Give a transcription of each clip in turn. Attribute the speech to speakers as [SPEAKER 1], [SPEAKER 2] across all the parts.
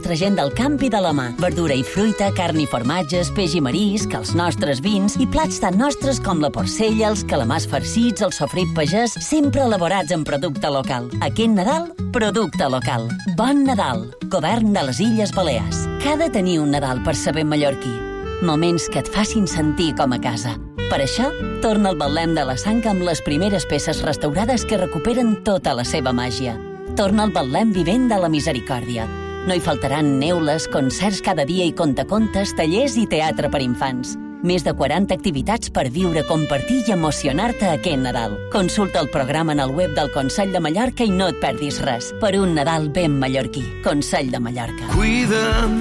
[SPEAKER 1] nostra gent del camp i de la mà. Verdura i fruita, carn i formatges, peix i marisc, els nostres vins i plats tan nostres com la porcella, els calamars farcits, el sofrit pagès, sempre elaborats en producte local. Aquest Nadal, producte local. Bon Nadal, Govern de les Illes Balears. Que ha de tenir un Nadal per saber mallorquí. Moments que et facin sentir com a casa. Per això, torna al Betlem de la Sang amb les primeres peces restaurades que recuperen tota la seva màgia. Torna al Betlem vivent de la misericòrdia. No hi faltaran neules, concerts cada dia i contacontes, tallers i teatre per infants. Més de 40 activitats per viure, compartir i emocionar-te aquest Nadal. Consulta el programa en el web del Consell de Mallorca i no et perdis res. Per un Nadal ben mallorquí. Consell de Mallorca.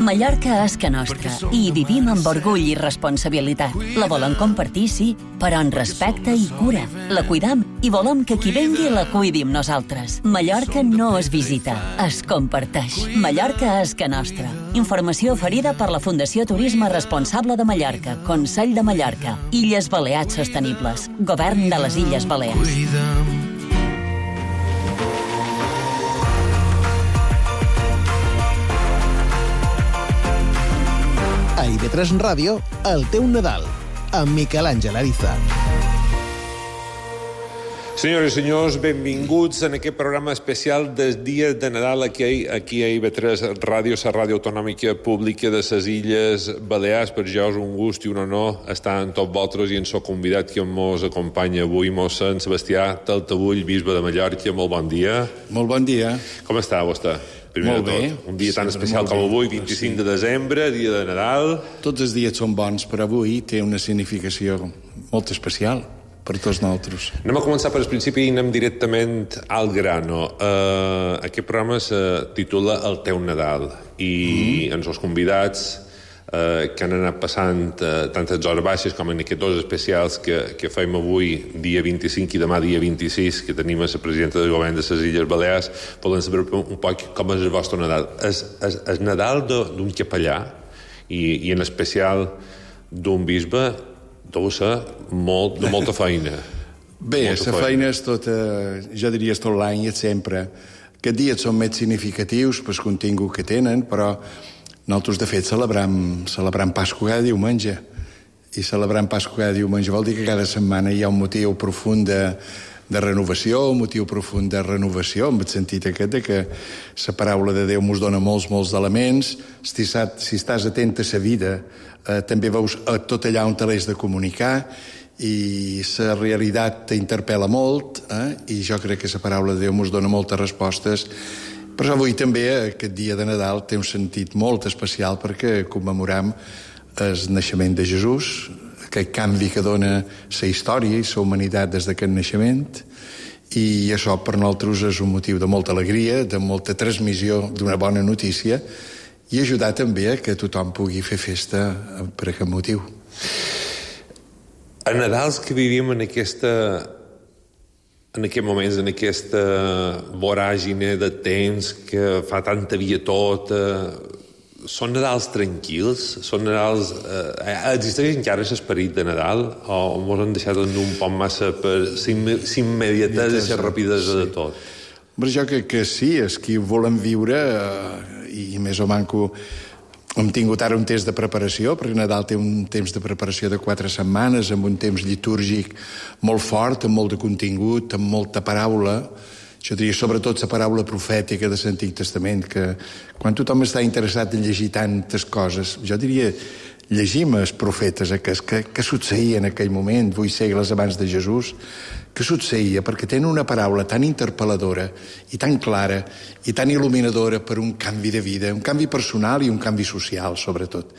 [SPEAKER 1] Mallorca és que nostra i hi vivim amb orgull i responsabilitat. La volem compartir, sí, però en respecte i cura. La cuidam i volem que qui vengui la cuidi amb nosaltres. Mallorca no es visita, es comparteix. Mallorca és que nostra. Informació oferida per la Fundació Turisme Responsable de Mallorca, Consell de Mallorca, Illes Balears Sostenibles, Govern de les Illes Balears.
[SPEAKER 2] A IB3 Ràdio, el teu Nadal, amb Miquel Àngel Ariza.
[SPEAKER 3] Senyores i senyors, benvinguts en aquest programa especial dels dies de Nadal aquí a IB3 Ràdio, la ràdio autonòmica pública de les Illes Balears. Per jo és un gust i un honor estar amb tots vosaltres i en soc convidat que ens acompanya avui, mossèn Sebastià Taltabull, bisbe de Mallorca. Molt bon dia.
[SPEAKER 4] Molt bon dia.
[SPEAKER 3] Com està vostè? Primer
[SPEAKER 4] molt
[SPEAKER 3] de tot,
[SPEAKER 4] bé.
[SPEAKER 3] Un dia tan especial com avui, 25 de desembre, dia de Nadal.
[SPEAKER 4] Tots els dies són bons, però avui té una significació molt especial per tots nosaltres.
[SPEAKER 3] Anem a començar per el principi i anem directament al grano. Aquest programa se titula El teu Nadal i ens els convidats que han anat passant tantes hores baixes com en aquests dos especials que fem avui, dia 25 i demà dia 26, que tenim a la presidenta del govern de les Illes Balears, volen saber un poc com és el vostre Nadal. El Nadal d'un capellà i en especial d'un bisbe deu ser de molta feina.
[SPEAKER 4] Bé, la feina és tota, jo diria, tot l'any, és sempre. Aquests dies són més significatius pel contingut que tenen, però nosaltres, de fet, celebrem Pasqua cada diumenge. I celebrant Pasqua cada diumenge vol dir que cada setmana hi ha un motiu profund de renovació, un motiu profund de renovació, en el sentit aquest de que la paraula de Déu mos dona molts elements. Si estàs atent a la vida, també veus tot allà on te l'has de comunicar, i la realitat t'interpel·la molt, i jo crec que la paraula de Déu mos dona moltes respostes. Però avui també, aquest dia de Nadal, té un sentit molt especial perquè commemoram el naixement de Jesús, aquest canvi que dona la història i la humanitat des d'aquest naixement, i això per nosaltres és un motiu de molta alegria, de molta transmissió d'una bona notícia, i ajudar també a que tothom pugui fer festa per aquest motiu.
[SPEAKER 3] A Nadals que vivim en aquests moments, en aquesta voràgine de temps que fa tanta via tota, són Nadals tranquils? Són Nadals... existeix encara l'esperit de Nadal o ens han deixat en un poc massa per l'immediatesa i la rapidesa de tot?
[SPEAKER 4] Jo crec que sí, és que ho volem viure i més o manco hem tingut ara un temps de preparació, perquè Nadal té un temps de preparació de 4 setmanes, amb un temps litúrgic molt fort, amb molt de contingut, amb molta paraula. Jo diria sobretot la paraula profètica de l'Antic Testament, que quan tothom està interessat en llegir tantes coses, jo diria llegim els profetes, què succeïa en aquell moment, 8 segles abans de Jesús, què succeïa, perquè tenen una paraula tan interpel·ladora i tan clara i tan il·luminadora per un canvi de vida, un canvi personal i un canvi social, sobretot.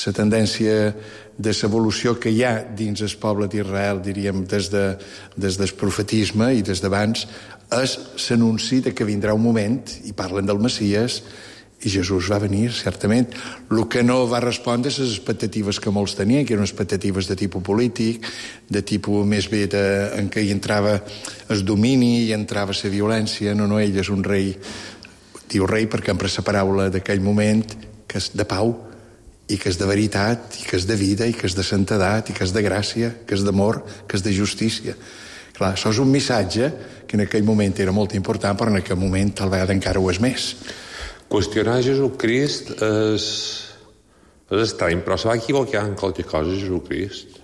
[SPEAKER 4] La tendència de l'evolució que hi ha dins el poble d'Israel, diríem, des del profetisme i des d'abans, és l'anunci que vindrà un moment, i parlen del Messies, i Jesús va venir, certament. El que no va respondre a les expectatives que molts tenien, que eren expectatives de tipus polític, de tipus més bé en què hi entrava el domini, hi entrava la violència. No, ell és un rei, diu rei perquè empra la paraula d'aquell moment, que és de pau, i que és de veritat, i que és de vida, i que és de santedat, i que és de gràcia, que és d'amor, que és de justícia. Clar, això és un missatge que en aquell moment era molt important, però en aquell moment tal vegada encara ho és més.
[SPEAKER 3] Qüestionar Jesucrist és estrany, però se va equivocar en qualque cosa, Jesucrist.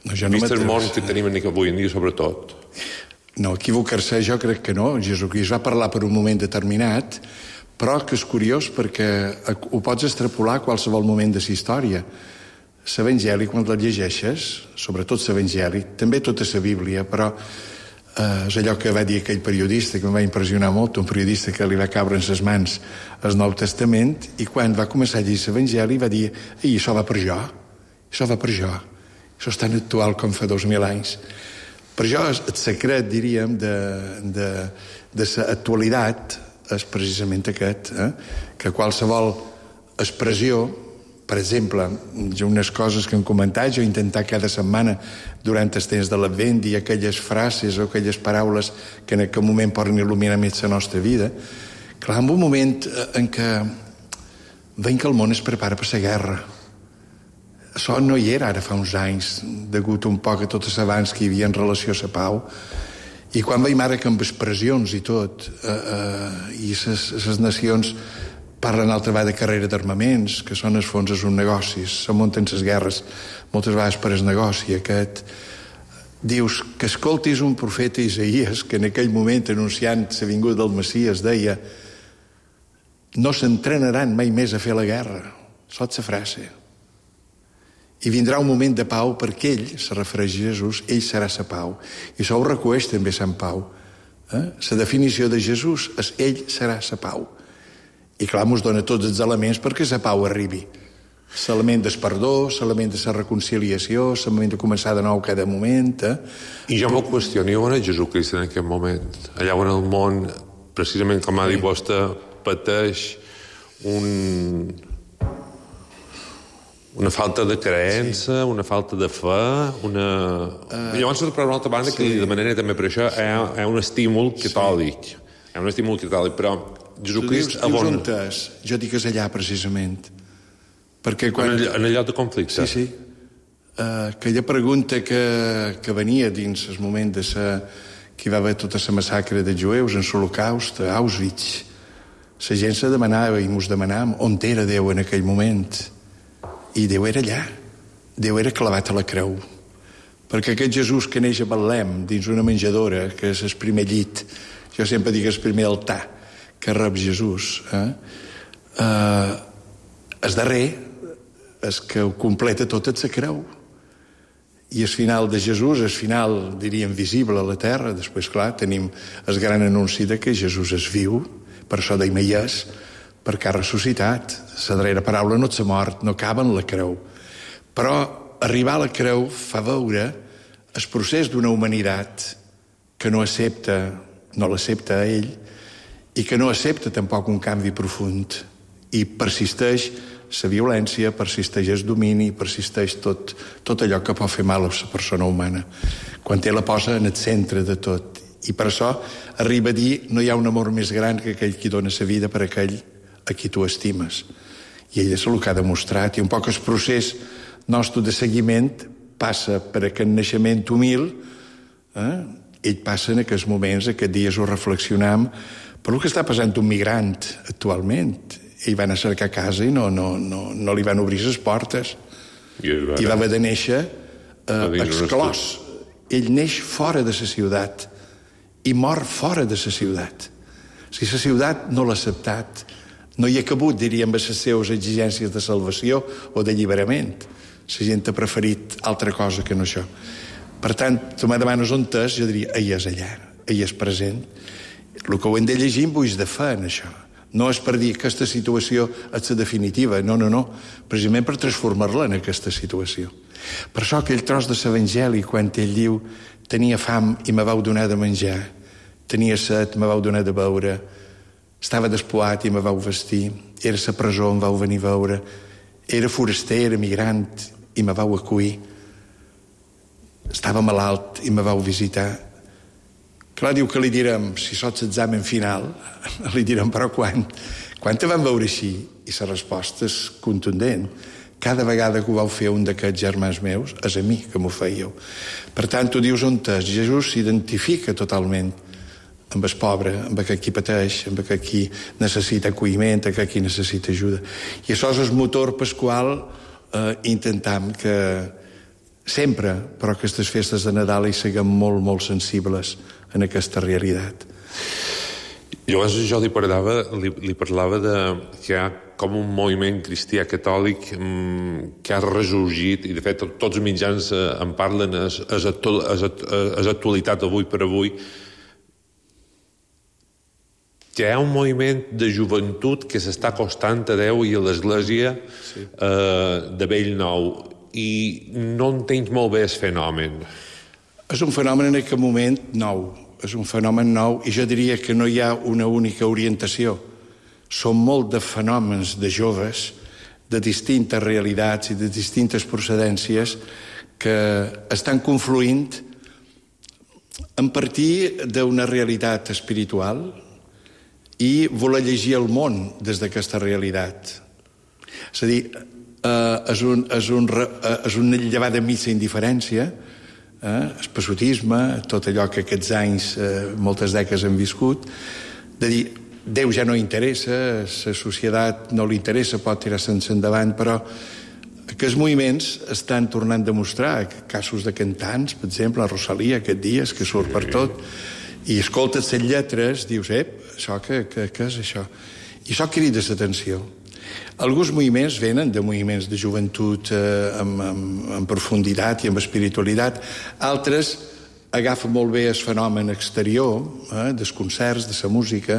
[SPEAKER 4] No, jo no
[SPEAKER 3] vist el món que tenim avui en dia, sobretot.
[SPEAKER 4] No, equivocar-se jo crec que no. Jesucrist va parlar per un moment determinat, però que és curiós perquè ho pots extrapolar a qualsevol moment de la història. L'Evangeli, quan el llegeixes, sobretot l'Evangeli, també tota la Bíblia, però és allò que va dir aquell periodista, que em va impressionar molt, un periodista que li va caure en les mans el Nou Testament, i quan va començar a llegir l'Evangeli va dir: «Ei, això va per jo, això va per jo, això és tan actual com fa 2.000 anys». Per això el secret, diríem, de l'actualitat és precisament aquest, que qualsevol expressió, per exemple, unes coses que hem comentat, jo he intentat cada setmana durant el temps de l'Advent dir aquelles frases o aquelles paraules que en aquest moment poden il·luminar més la nostra vida. Clar, en un moment en què veiem que el món es prepara per la guerra. Això no hi era ara fa uns anys, degut un poc a tot l'abans que hi havia en relació a la pau. I quan veiem ara que amb expressions i tot, i les nacions parlen altra vegada de carrera d'armaments, que són, al fons, és un negoci, se munten les guerres moltes vegades per el negoci aquest. Dius que escoltis un profeta Isaías, que en aquell moment, anunciant la vinguda del Messies, deia: «No s'entrenaran mai més a fer la guerra». Saps la frase? I vindrà un moment de pau perquè ell, se refereix a Jesús, ell serà la pau. I això ho recueix també Sant Pau. La definició de Jesús és: ell serà la pau. I clar, ens dona tots els elements perquè la pau arribi. L'element del perdó, l'element de la reconciliació, l'element de començar de nou cada moment.
[SPEAKER 3] I jo m'ho qüestiono on és Jesucrist en aquest moment. Allà on el món, precisament com ha dit vostè, pateix una falta de creença, una falta de fe, Llavors, per una altra banda, que de manera també per això hi ha un estímul catòlic. Hi ha un estímul catòlic, però Jesucrist...
[SPEAKER 4] Dius on és? Jo dic que és allà, precisament. Perquè quan...
[SPEAKER 3] En el lloc de conflicte.
[SPEAKER 4] Sí. Aquella pregunta que venia dins el moment de que hi va haver tota la massacre de jueus en l'Holocaust, a Auschwitz. La gent se demanava i ens demanàvem on era Déu en aquell moment. I Déu era allà. Déu era clavat a la creu. Perquè aquest Jesús que neix a Betlem, dins una menjadora, que és el primer llit, jo sempre dic el primer altar que rep Jesús, el darrer és que ho completa tot és la creu. I el final de Jesús, el final, diríem, visible a la terra. Després, clar, tenim el gran anunci de que Jesús és viu, per això deim hi és, perquè ha ressuscitat. La darrera paraula no s'ha mort, no acaba en la creu. Però arribar a la creu fa veure el procés d'una humanitat que no l'accepta a ell i que no accepta tampoc un canvi profund. I persisteix la violència, persisteix el domini, persisteix tot allò que pot fer mal a la persona humana. Quan ell la posa en el centre de tot. I per això arriba a dir: no hi ha un amor més gran que aquell qui dona la vida per aquell a qui tu estimes. I ell és el que ha demostrat. I un poc el procés nostre de seguiment passa per aquest naixement humil. Ell passa en aquests moments, aquests dies ho reflexionam, per el que està passant un migrant actualment. Ell va anar a cercar casa i no li van obrir les portes. I va haver de néixer exclòs. Ell neix fora de la ciutat i mor fora de la ciutat. Si la ciutat no l'ha acceptat, no hi ha cabut, diríem, a les seves exigències de salvació o d'alliberament. La gent ha preferit altra cosa que no això. Per tant, tu me demanes on és, jo diria: ell és allà, ell és present. El que ho hem de llegir amb ulls de fe en això. No és per dir que aquesta situació és la definitiva, no. Precisament per transformar-la en aquesta situació. Per això aquell tros de l'Evangeli, quan ell diu: tenia fam i me vau donar de menjar, tenia set, me vau donar de beure, estava despoat i me vau vestir, era a la presó, em vau venir a veure, era foraster, era migrant i me vau acollir, estava malalt i me vau visitar. Clar, diu que li direm, si sots examen final, li direm, però quan te van veure així? I la resposta és contundent. Cada vegada que ho vau fer un d'aquests germans meus, és a mi que m'ho fèieu. Per tant, tu dius on és. Jesús s'identifica totalment amb el pobre, amb aquell qui pateix, amb aquell qui necessita acolliment, aquell qui necessita ajuda. I això és el motor pel qual intentam que sempre, però aquestes festes de Nadal hi siguem molt, molt sensibles en aquesta realitat.
[SPEAKER 3] Llavors jo li parlava de que hi ha com un moviment cristià catòlic que ha ressorgit, i de fet tots els mitjans en parlen, és actualitat avui per avui, que hi ha un moviment de joventut que s'està acostant a Déu i a l'Església de vell nou, i no entenc molt bé el fenomen.
[SPEAKER 4] És un fenomen en aquest moment nou, és un fenomen nou, i jo diria que no hi ha una única orientació. Són molt de fenòmens de joves, de distintes realitats i de distintes procedències que estan confluint a partir d'una realitat espiritual i voler llegir el món des d'aquesta realitat. És a dir, és un llevar de missa indiferència, el passotisme, tot allò que aquests anys, moltes dècades han viscut, de dir, Déu ja no interessa, la societat no li interessa, pot tirar-se'n endavant, però aquests moviments estan tornant a demostrar casos de cantants, per exemple, a Rosalia aquest dia, que surt per tot, i escoltes les lletres, dius, això què és això? I això crida l'atenció. Alguns moviments venen de moviments de joventut amb profunditat i amb espiritualitat, altres agafen molt bé el fenomen exterior, dels concerts, de la música,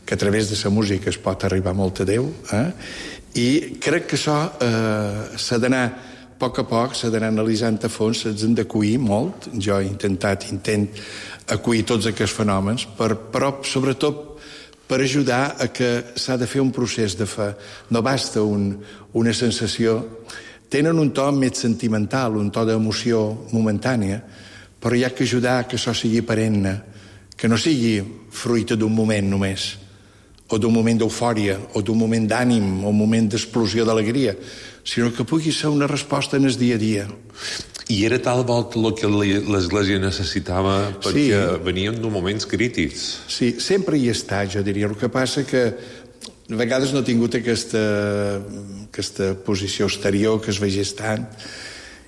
[SPEAKER 4] que a través de la música es pot arribar molt a Déu, i crec que això s'ha d'anar a poc s'ha d'anar analitzant a fons, s'ha d'acollir molt. Jo intent acollir tots aquests fenòmens, però sobretot per ajudar a que s'ha de fer un procés de fe. No basta una sensació. Tenen un to més sentimental, un to d'emoció momentània, però hi ha que ajudar a que això sigui perenne, que no sigui fruit d'un moment només, o d'un moment d'eufòria, o d'un moment d'ànim, o un moment d'explosió d'alegria, sinó que pugui ser una resposta en el dia a dia.
[SPEAKER 3] I era tal volta el que l'Església necessitava, perquè veníem d'uns moments crítics.
[SPEAKER 4] Sí, sempre hi està, jo diria. El que passa que a vegades no ha tingut aquesta posició exterior que es vegés tant.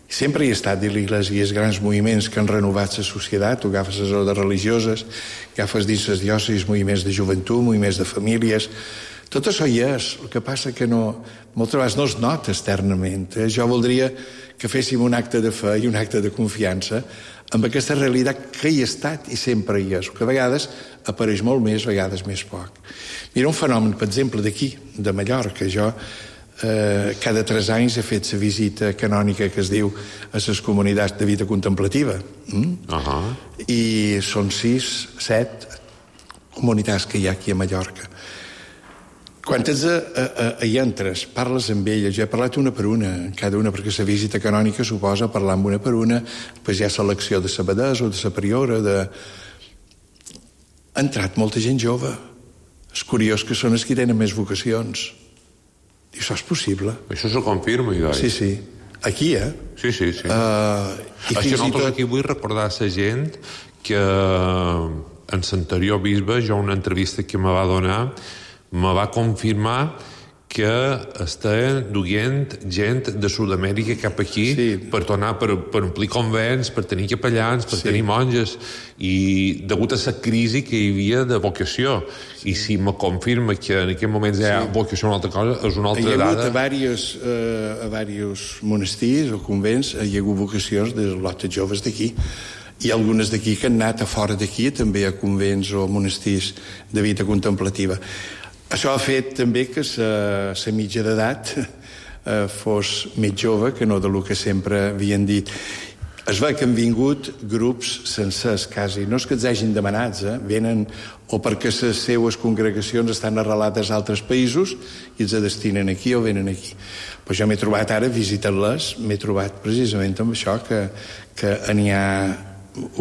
[SPEAKER 4] Sempre hi ha estat de l'Església i els grans moviments que han renovat la societat. Tu agafes les ordres religioses, agafes dins les diòcesis moviments de joventut, moviments de famílies. Tot això hi és. El que passa que moltes vegades no es nota externament. Jo voldria que féssim un acte de fe i un acte de confiança amb aquesta realitat que hi ha estat i sempre hi és, que a vegades apareix molt més, a vegades més poc. Mira un fenomen, per exemple, d'aquí, de Mallorca. Jo cada 3 anys he fet la visita canònica que es diu a les comunitats de vida contemplativa. I són 6, 7 comunitats que hi ha aquí a Mallorca. Quan hi entres, parles amb elles, jo he parlat una per una, cada una, perquè la visita canònica suposa parlar amb una per una, després hi ha selecció de sabadès o de la priora, ha entrat molta gent jove. És curiós que són els que tenen més vocacions. I això és possible.
[SPEAKER 3] Això s'ho confirma, Idoi.
[SPEAKER 4] Sí. Aquí,
[SPEAKER 3] Sí. Això nosaltres aquí vull recordar a la gent que en l'anterior bisbe, jo una entrevista que me va donar, me va confirmar que està duient gent de Sud-amèrica cap aquí per tornar, per omplir convents, per tenir capellans, per tenir monges, i degut a la crisi que hi havia de vocació. I si me confirma que en aquest moment hi ha vocació una altra cosa, és una altra dada.
[SPEAKER 4] A diversos monestirs o convents hi ha hagut vocacions de lotes joves d'aquí. I algunes d'aquí que han anat a fora d'aquí, també a convents o monestirs de vida contemplativa. Això ha fet també que la mitja d'edat fos més jove que no del que sempre havien dit. Es veu que han vingut grups sencers, quasi. No és que els hagin demanats, venen o perquè les seues congregacions estan arrelades a altres països i els destinen aquí o venen aquí. Però jo m'he trobat ara, visitant-les, m'he trobat precisament amb això, que n'hi ha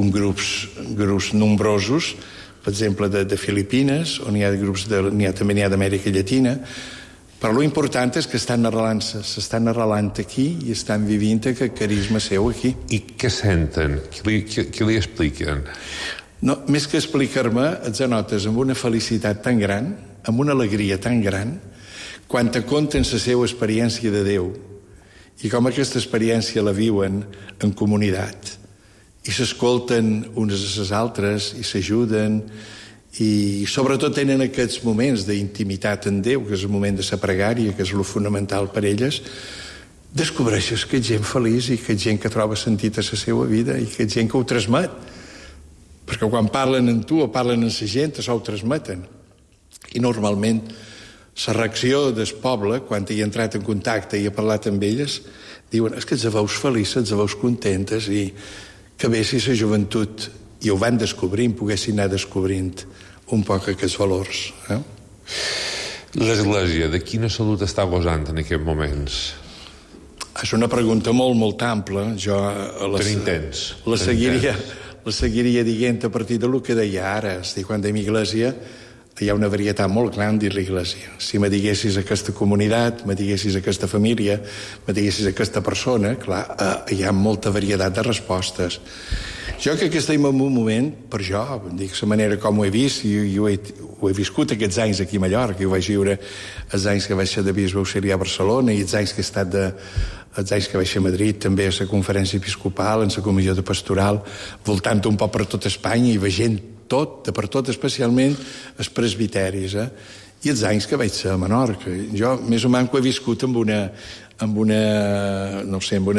[SPEAKER 4] grups nombrosos, per exemple, de Filipines, on hi ha grups, també n'hi ha d'Amèrica Llatina, però l'important és que s'estan arrelant aquí i estan vivint aquest carisma seu aquí.
[SPEAKER 3] I què senten? Què li expliquen?
[SPEAKER 4] No, més que explicar-me, et anotes amb una felicitat tan gran, amb una alegria tan gran, quan te conten la seva experiència de Déu i com aquesta experiència la viuen en comunitat. I s'escolten unes a les altres i s'ajuden i sobretot tenen aquests moments d'intimitat en Déu, que és el moment de la pregària, que és el fonamental per elles. Descobreixes que ets gent feliç i que ets gent que troba sentit a la seva vida i que ets gent que ho transmet. Perquè quan parlen amb tu o parlen amb la gent, això ho transmeten. I normalment la reacció del poble, quan hi he entrat en contacte i he parlat amb elles, diuen, és que ets veus felices, ets veus contentes i que bé si la joventut, i ho van descobrint, poguessin anar descobrint un poc aquests valors.
[SPEAKER 3] L'Església, de quina salut està gosant en aquests moments?
[SPEAKER 4] És una pregunta molt, molt ampla. Jo la seguiria dient a partir del que deia ara. És a dir, quan dèiem Iglésia, hi ha una varietat molt gran dins l'Iglésia. Si me diguessis aquesta comunitat, me diguessis aquesta família, me diguessis aquesta persona, clar, hi ha molta varietat de respostes. Jo crec que estem en un moment, per jo, dic la manera com ho he vist, i ho he viscut aquests anys aquí a Mallorca, i ho vaig viure els anys que vaig ser de bisbe auxiliar a Barcelona i els anys que he estat els anys que vaig ser a Madrid, també a la conferència episcopal, en la comissió de pastoral, voltant un poc per tot Espanya i veient tot, de per tot, especialment els presbiteris, i els anys que vaig ser a Menorca. Jo, més o menys, ho he viscut amb una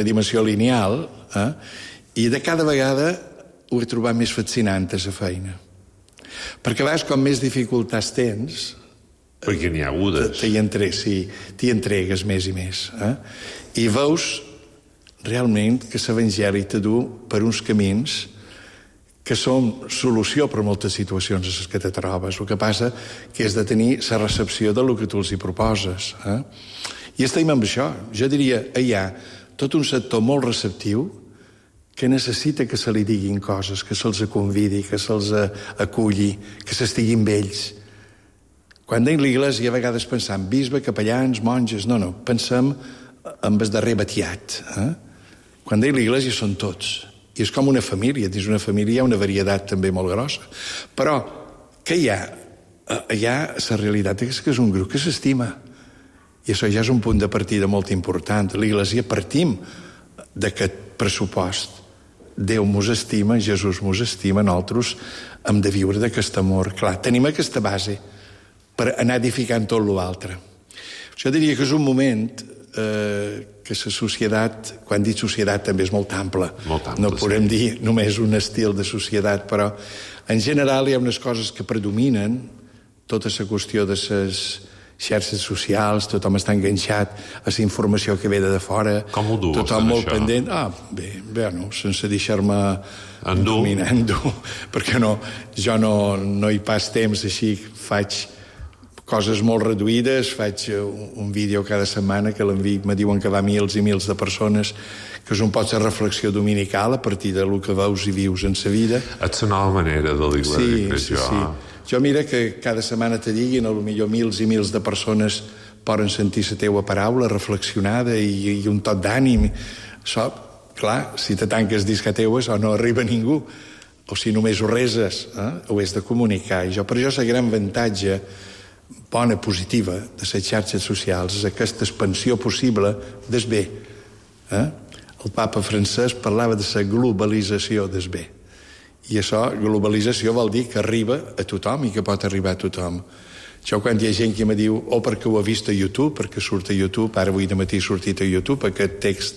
[SPEAKER 4] dimensió lineal, i de cada vegada ho he trobat més fascinant, a la feina. Perquè a vegades, com més dificultats tens...
[SPEAKER 3] Perquè n'hi ha agudes.
[SPEAKER 4] T'hi entregues més i més. I veus realment que l'Evangeli te du per uns camins que són solució per moltes situacions a les que te trobes. El que passa que és de tenir la recepció del que tu els hi proposes. I estem amb això. Jo diria, hi ha tot un sector molt receptiu que necessita que se li diguin coses, que se'ls convidi, que se'ls aculli, que s'estiguin amb ells. Quan deim l'Iglésia, a vegades pensam bisbe, capellans, monges... No, pensem en el darrer batiat. Quan deim l'Iglésia són tots. I és com una família. Dins una família hi ha una varietat també molt grossa. Però què hi ha? Hi ha la realitat que és un grup que s'estima. I això ja és un punt de partida molt important. L'Iglésia partim d'aquest pressupost. Déu mos estima, Jesús mos estima, nosaltres hem de viure d'aquest amor. Clar, tenim aquesta base per anar edificant tot l'altre. Jo diria que és un moment que la societat, quan dic societat també és molt ampla. No podem dir només un estil de societat, però en general hi ha unes coses que predominen, tota la qüestió de les xarxes socials, tothom està enganxat a la informació que ve de fora.
[SPEAKER 3] Com ho dues,
[SPEAKER 4] tothom molt
[SPEAKER 3] això?
[SPEAKER 4] Pendent. Bé, sense deixar-me dominar, perquè jo no hi pas temps així, faig coses molt reduïdes, faig un vídeo cada setmana que me diuen que va mils i mils de persones, que és un poc de reflexió dominical a partir del que veus i vius en sa vida.
[SPEAKER 3] És una nova manera de l'Iglésia,
[SPEAKER 4] Sí. Jo mira que cada setmana te diguin, potser mils i mils de persones poden sentir la teua paraula reflexionada i un tot d'ànim. Això, clar, si te tanques dins que teues o no arriba ningú, o si només ho reses, ho has de comunicar. I per això el gran avantatge bona, positiva de les xarxes socials és aquesta expansió possible del bé. El papa francès parlava de la globalització del bé. I això, globalització, vol dir que arriba a tothom i que pot arribar a tothom. Jo, quan hi ha gent que me diu perquè ho ha vist a YouTube, perquè surt a YouTube, ara avui de matí ha sortit a YouTube aquest text,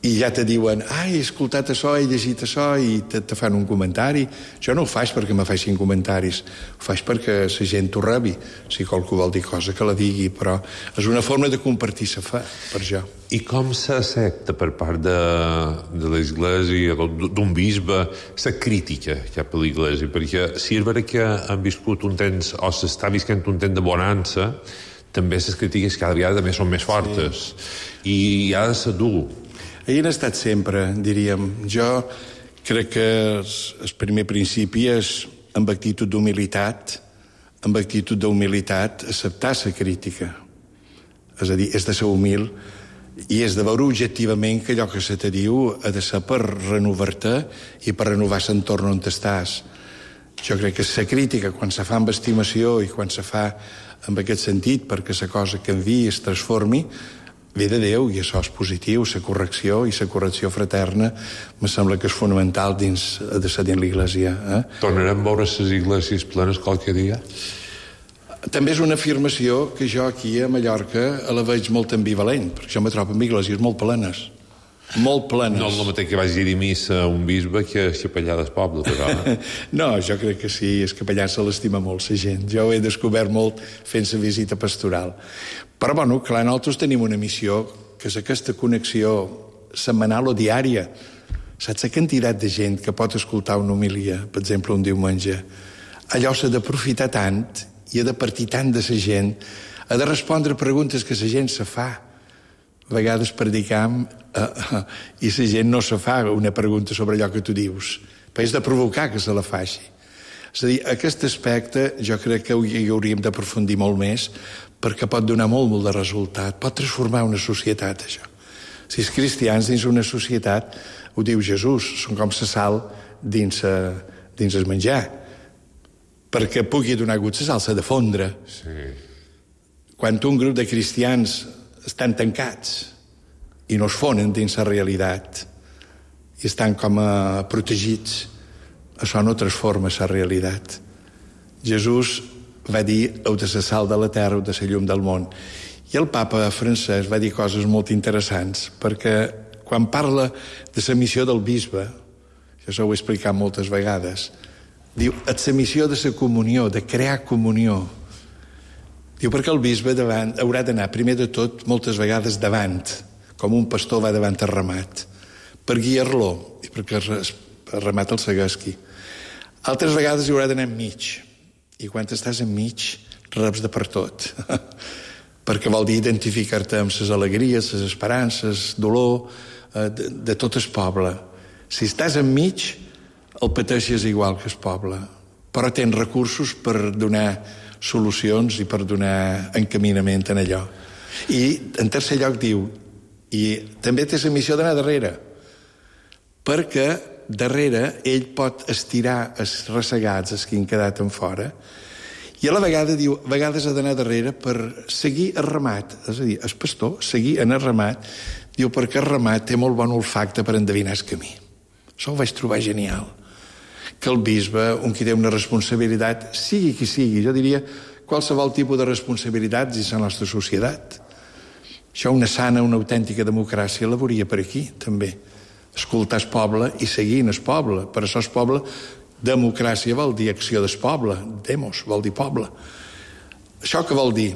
[SPEAKER 4] i ja te diuen, he escoltat això, he llegit això, i te fan un comentari. Jo no ho faig perquè me facin comentaris, ho faig perquè la gent ho rebi. Si qualcú vol dir cosa, que la digui, però és una forma de compartir la fe, per jo.
[SPEAKER 3] I com s'accepta per part de l'Església, d'un bisbe, la crítica cap a l'Església? Perquè si és vera que han viscut un temps, o s'està visquent un temps de bonança, també les crítiques cada vegada també són més fortes. Sí. I ha de ser dur.
[SPEAKER 4] Hi han estat sempre, diríem. Jo crec que el primer principi és amb actitud d'humilitat, acceptar la crítica. És a dir, és de ser humil i és de veure objectivament que allò que se te diu ha de ser per renovar-te i per renovar l'entorn on estàs. Jo crec que la crítica, quan se fa amb estimació i quan se fa en aquest sentit, perquè la cosa canviï, es transformi, ve de Déu, i això és positiu. La correcció i la correcció fraterna me sembla que és fonamental dins l'Església.
[SPEAKER 3] Tornarem a veure les esglésies plenes qualque dia?
[SPEAKER 4] També és una afirmació que jo aquí a Mallorca la veig molt ambivalent, perquè jo me trobo amb esglésies molt plenes. Molt plenes.
[SPEAKER 3] No és el mateix que vagi a dir missa a un bisbe que a capellà del poble, però...
[SPEAKER 4] No, jo crec que sí, el capellà se l'estima molt, la gent. Jo ho he descobert molt fent la visita pastoral. Però, bueno, clar, nosaltres tenim una missió, que és aquesta connexió setmanal o diària. Saps la quantitat de gent que pot escoltar una homilia, per exemple, un diumenge? Allò s'ha d'aprofitar tant i ha de partir tant de la gent, ha de respondre preguntes que la gent se fa. A vegades predicam i la gent no se fa una pregunta sobre allò que tu dius, però és de provocar que se la faci. És a dir, aquest aspecte jo crec que hi hauríem d'aprofundir molt més, perquè pot donar molt de resultat, pot transformar una societat, això. Si els cristians dins una societat, ho diu Jesús, són com la sal dins el menjar. Perquè pugui donar gust la sal s'ha de fondre.
[SPEAKER 3] Sí.
[SPEAKER 4] Quan un grup de cristians estan tancats i no es fonen dins la realitat i estan com protegits, això no transforma la realitat. Jesús va dir: heu de ser sal de la terra, heu de ser llum del món. I el papa francès va dir coses molt interessants, perquè quan parla de la missió del bisbe, això ho he explicat moltes vegades, diu, és la missió de la comunió, de crear comunió. Diu, perquè el bisbe haurà d'anar, primer de tot, moltes vegades davant, com un pastor va davant el ramat, per guiar-lo i perquè el ramat el segueixi. Altres vegades hi haurà d'anar enmig, i quan estàs enmig reps de per tot, perquè vol dir identificar-te amb les alegries, les esperances, dolor de tot el poble. Si estàs enmig, el pateixes igual que el poble, però tens recursos per donar solucions i per donar encaminament en allò. I en tercer lloc diu, i també té la missió d'anar darrere, perquè darrere ell pot estirar els ressegats, els que han quedat en fora, i a la vegada diu, a vegades ha d'anar darrere per seguir el ramat, és a dir, el pastor, seguir en el ramat, diu, perquè el ramat té molt bon olfacte per endevinar el camí. Això ho vaig trobar genial. Que el bisbe, un qui té una responsabilitat, sigui qui sigui, jo diria qualsevol tipus de responsabilitats dins la nostra societat. Això, una sana, una autèntica democràcia la veuria per aquí, també. Escoltar el poble i seguir en el poble. Per això el poble, democràcia vol dir acció del poble, demos, vol dir poble. Això què vol dir?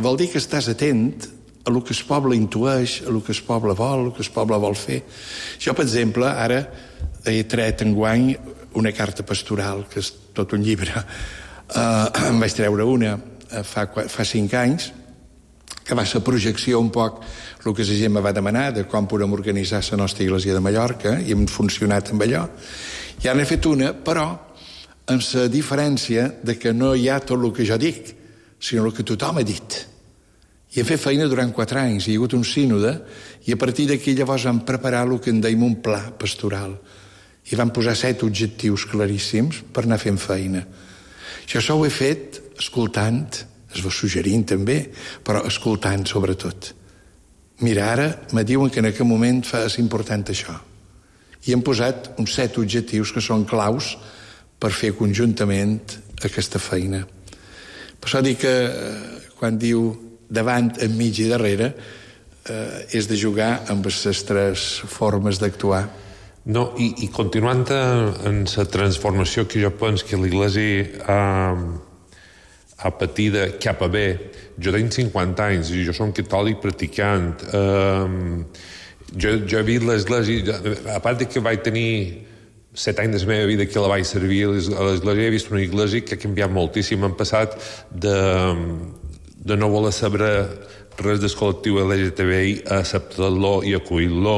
[SPEAKER 4] Vol dir que estàs atent a el que el poble intueix, a el que el poble vol, el que el poble vol fer. Jo, per exemple, ara he tret enguany una carta pastoral, que és tot un llibre. En vaig treure una fa 5 anys, que va ser projecció un poc el que la gent me va demanar, de com podem organitzar la nostra Església de Mallorca, i hem funcionat amb allò. I ara n'he fet una, però amb la diferència de que no hi ha tot el que jo dic, sinó el que tothom ha dit. I hem fet feina durant 4 anys, hi ha hagut un sínode, i a partir d'aquí llavors vam preparar el que en deim un pla pastoral. I vam posar 7 objectius claríssims per anar fent feina. Això ho he fet escoltant, es va suggerint també, però escoltant sobretot. Mira, ara me diuen que en aquest moment és important això. I hem posat uns 7 objectius que són claus per fer conjuntament aquesta feina. Per això dic que quan diu davant, enmig i darrere, és de jugar amb les 3 formes d'actuar.
[SPEAKER 3] No, i continuant en la transformació que jo penso que l'Església ha patit de cap a bé, jo tinc 50 anys i jo som catòlic practicant. Jo he vist l'Església, a part que vaig tenir 7 anys de la meva vida que la vaig servir a l'Església, he vist una Església que ha canviat moltíssim. Hem passat de no voler saber res del col·lectiu LGTBI a acceptar-lo i acollir-lo,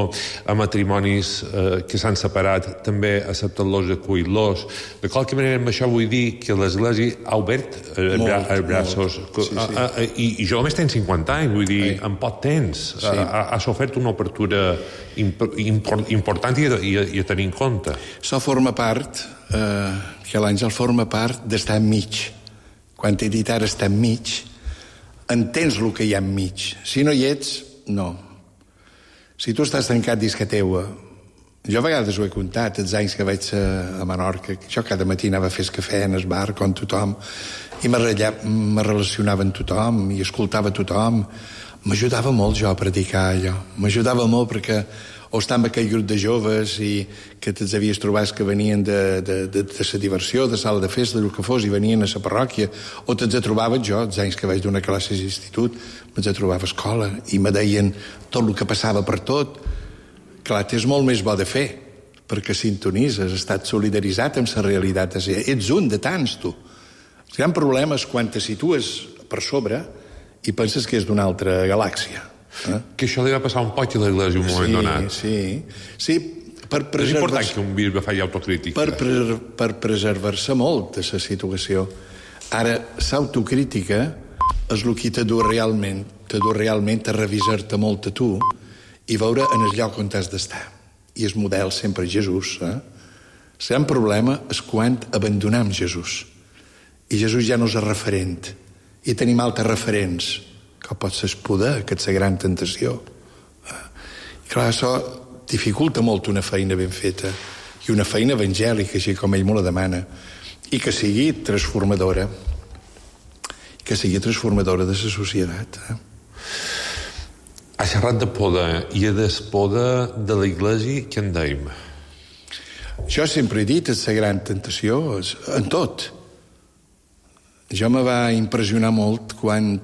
[SPEAKER 3] a matrimonis que s'han separat també acceptar-los i acollir-los. De qualque manera, amb això vull dir que l'Església ha obert els braços. I jo només tenc 50 anys, vull dir, en poc temps ha sofert una obertura important i a tenir en compte.
[SPEAKER 4] Això forma part, que que l'àngel forma part d'estar enmig. Quan t'he dit ara estar enmig, entens el que hi ha enmig. Si no hi ets, no. Si tu estàs tancat dins que teua, jo a vegades ho he contat, els anys que vaig a Menorca, jo cada matí anava a fer cafè en el bar com tothom, i me relacionava amb tothom, i escoltava tothom. M'ajudava molt jo a predicar allò. M'ajudava molt perquè o estava amb aquell grup de joves i que te'ls havies trobat que venien de la diversió, de sala de festa, del que fos, i venien a la parròquia, o te'ls trobava jo, els anys que vaig donar classes d'institut, me'ls trobava a escola, i me deien tot el que passava per tot. Clar, és molt més bo de fer, perquè sintonitzes, has estat solidaritzat amb la realitat. Ets un de tants, tu. El gran problema és quan te situes per sobre i penses que és d'una altra galàxia.
[SPEAKER 3] Que això li va passar un poc a l'Església un moment donat.
[SPEAKER 4] Sí, per
[SPEAKER 3] és
[SPEAKER 4] preservar-se...
[SPEAKER 3] important que un bisbe faci autocrítica.
[SPEAKER 4] Per preservar-se molt de la situació. Ara, l'autocrítica és el que te du realment a revisar-te molt a tu i veure en el lloc on has d'estar. I el model sempre és Jesús. El gran problema és quan abandonem Jesús. I Jesús ja no és el referent. I tenim altres referents, que pot ser el poder, que és la gran tentació. I clar, això dificulta molt una feina ben feta, i una feina evangèlica, així com ell me la demana, i que sigui transformadora, de la societat.
[SPEAKER 3] Ha xerrat de poder, i del poder de l'Església, què en deim?
[SPEAKER 4] Jo sempre he dit, és la gran tentació, en tot. Jo me va impressionar molt quan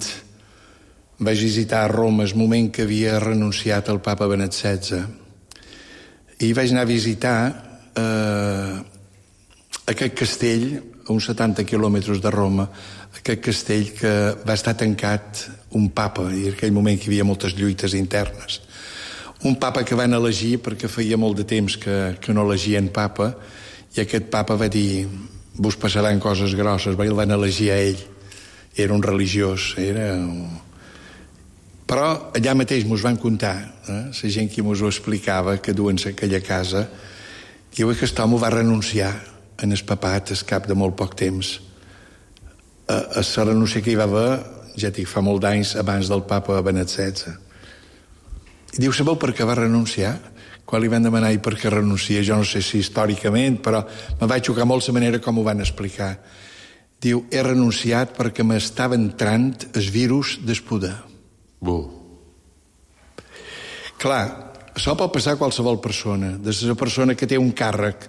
[SPEAKER 4] vaig visitar a Roma el moment que havia renunciat el papa Benet XVI, i vaig anar a visitar aquest castell a uns 70 quilòmetres de Roma, aquest castell que va estar tancat un papa, i en aquell moment que hi havia moltes lluites internes. Un papa que van elegir perquè feia molt de temps que no elegien papa, i aquest papa va dir: vos passaran coses grosses. El van elegir a ell. Era un religiós. Però allà mateix mos van contar, la gent que mos ho explicava, que duen a aquella casa, diu que aquest home va renunciar en el papat al cap de molt poc temps. A la renúncia que hi va haver, ja dic, fa molt d'anys abans del papa Benet XVI. I diu, sabeu per què va renunciar? Quan li van demanar i per què renuncia, jo no sé si històricament, però me va xocar molt la manera com ho van explicar. Diu, he renunciat perquè m'estava entrant el virus del poder. Clar, això pot passar a qualsevol persona. Des de la persona que té un càrrec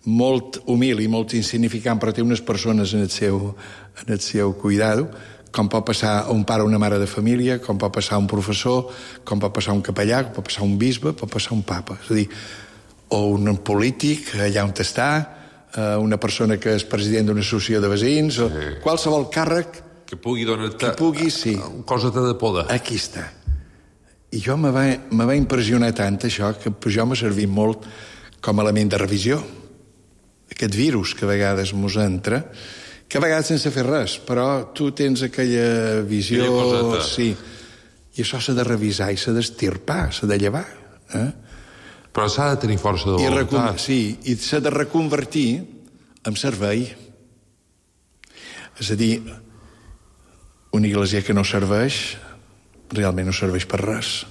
[SPEAKER 4] molt humil i molt insignificant, però té unes persones en el seu cuidado, com pot passar a un pare o una mare de família, com pot passar a un professor, com pot passar a un capellà, com pot passar a un bisbe, pot passar a un papa. És a dir, o un polític, allà on està, una persona que és president d'una associació de veïns, o qualsevol càrrec
[SPEAKER 3] que pugui donar-te
[SPEAKER 4] cosa
[SPEAKER 3] de poder.
[SPEAKER 4] Aquí està. I jo me va impressionar tant això que jo m'ha servit molt com a element de revisió. Aquest virus que a vegades mos entra, que a vegades sense fer res, però tu tens aquella visió... Sí. I això s'ha de revisar i s'ha d'estirpar, s'ha de llevar.
[SPEAKER 3] Però s'ha de tenir força de voluntat.
[SPEAKER 4] Sí, i s'ha de reconvertir en servei. És a dir, una iglesia que no serveix, realment no serveix per res.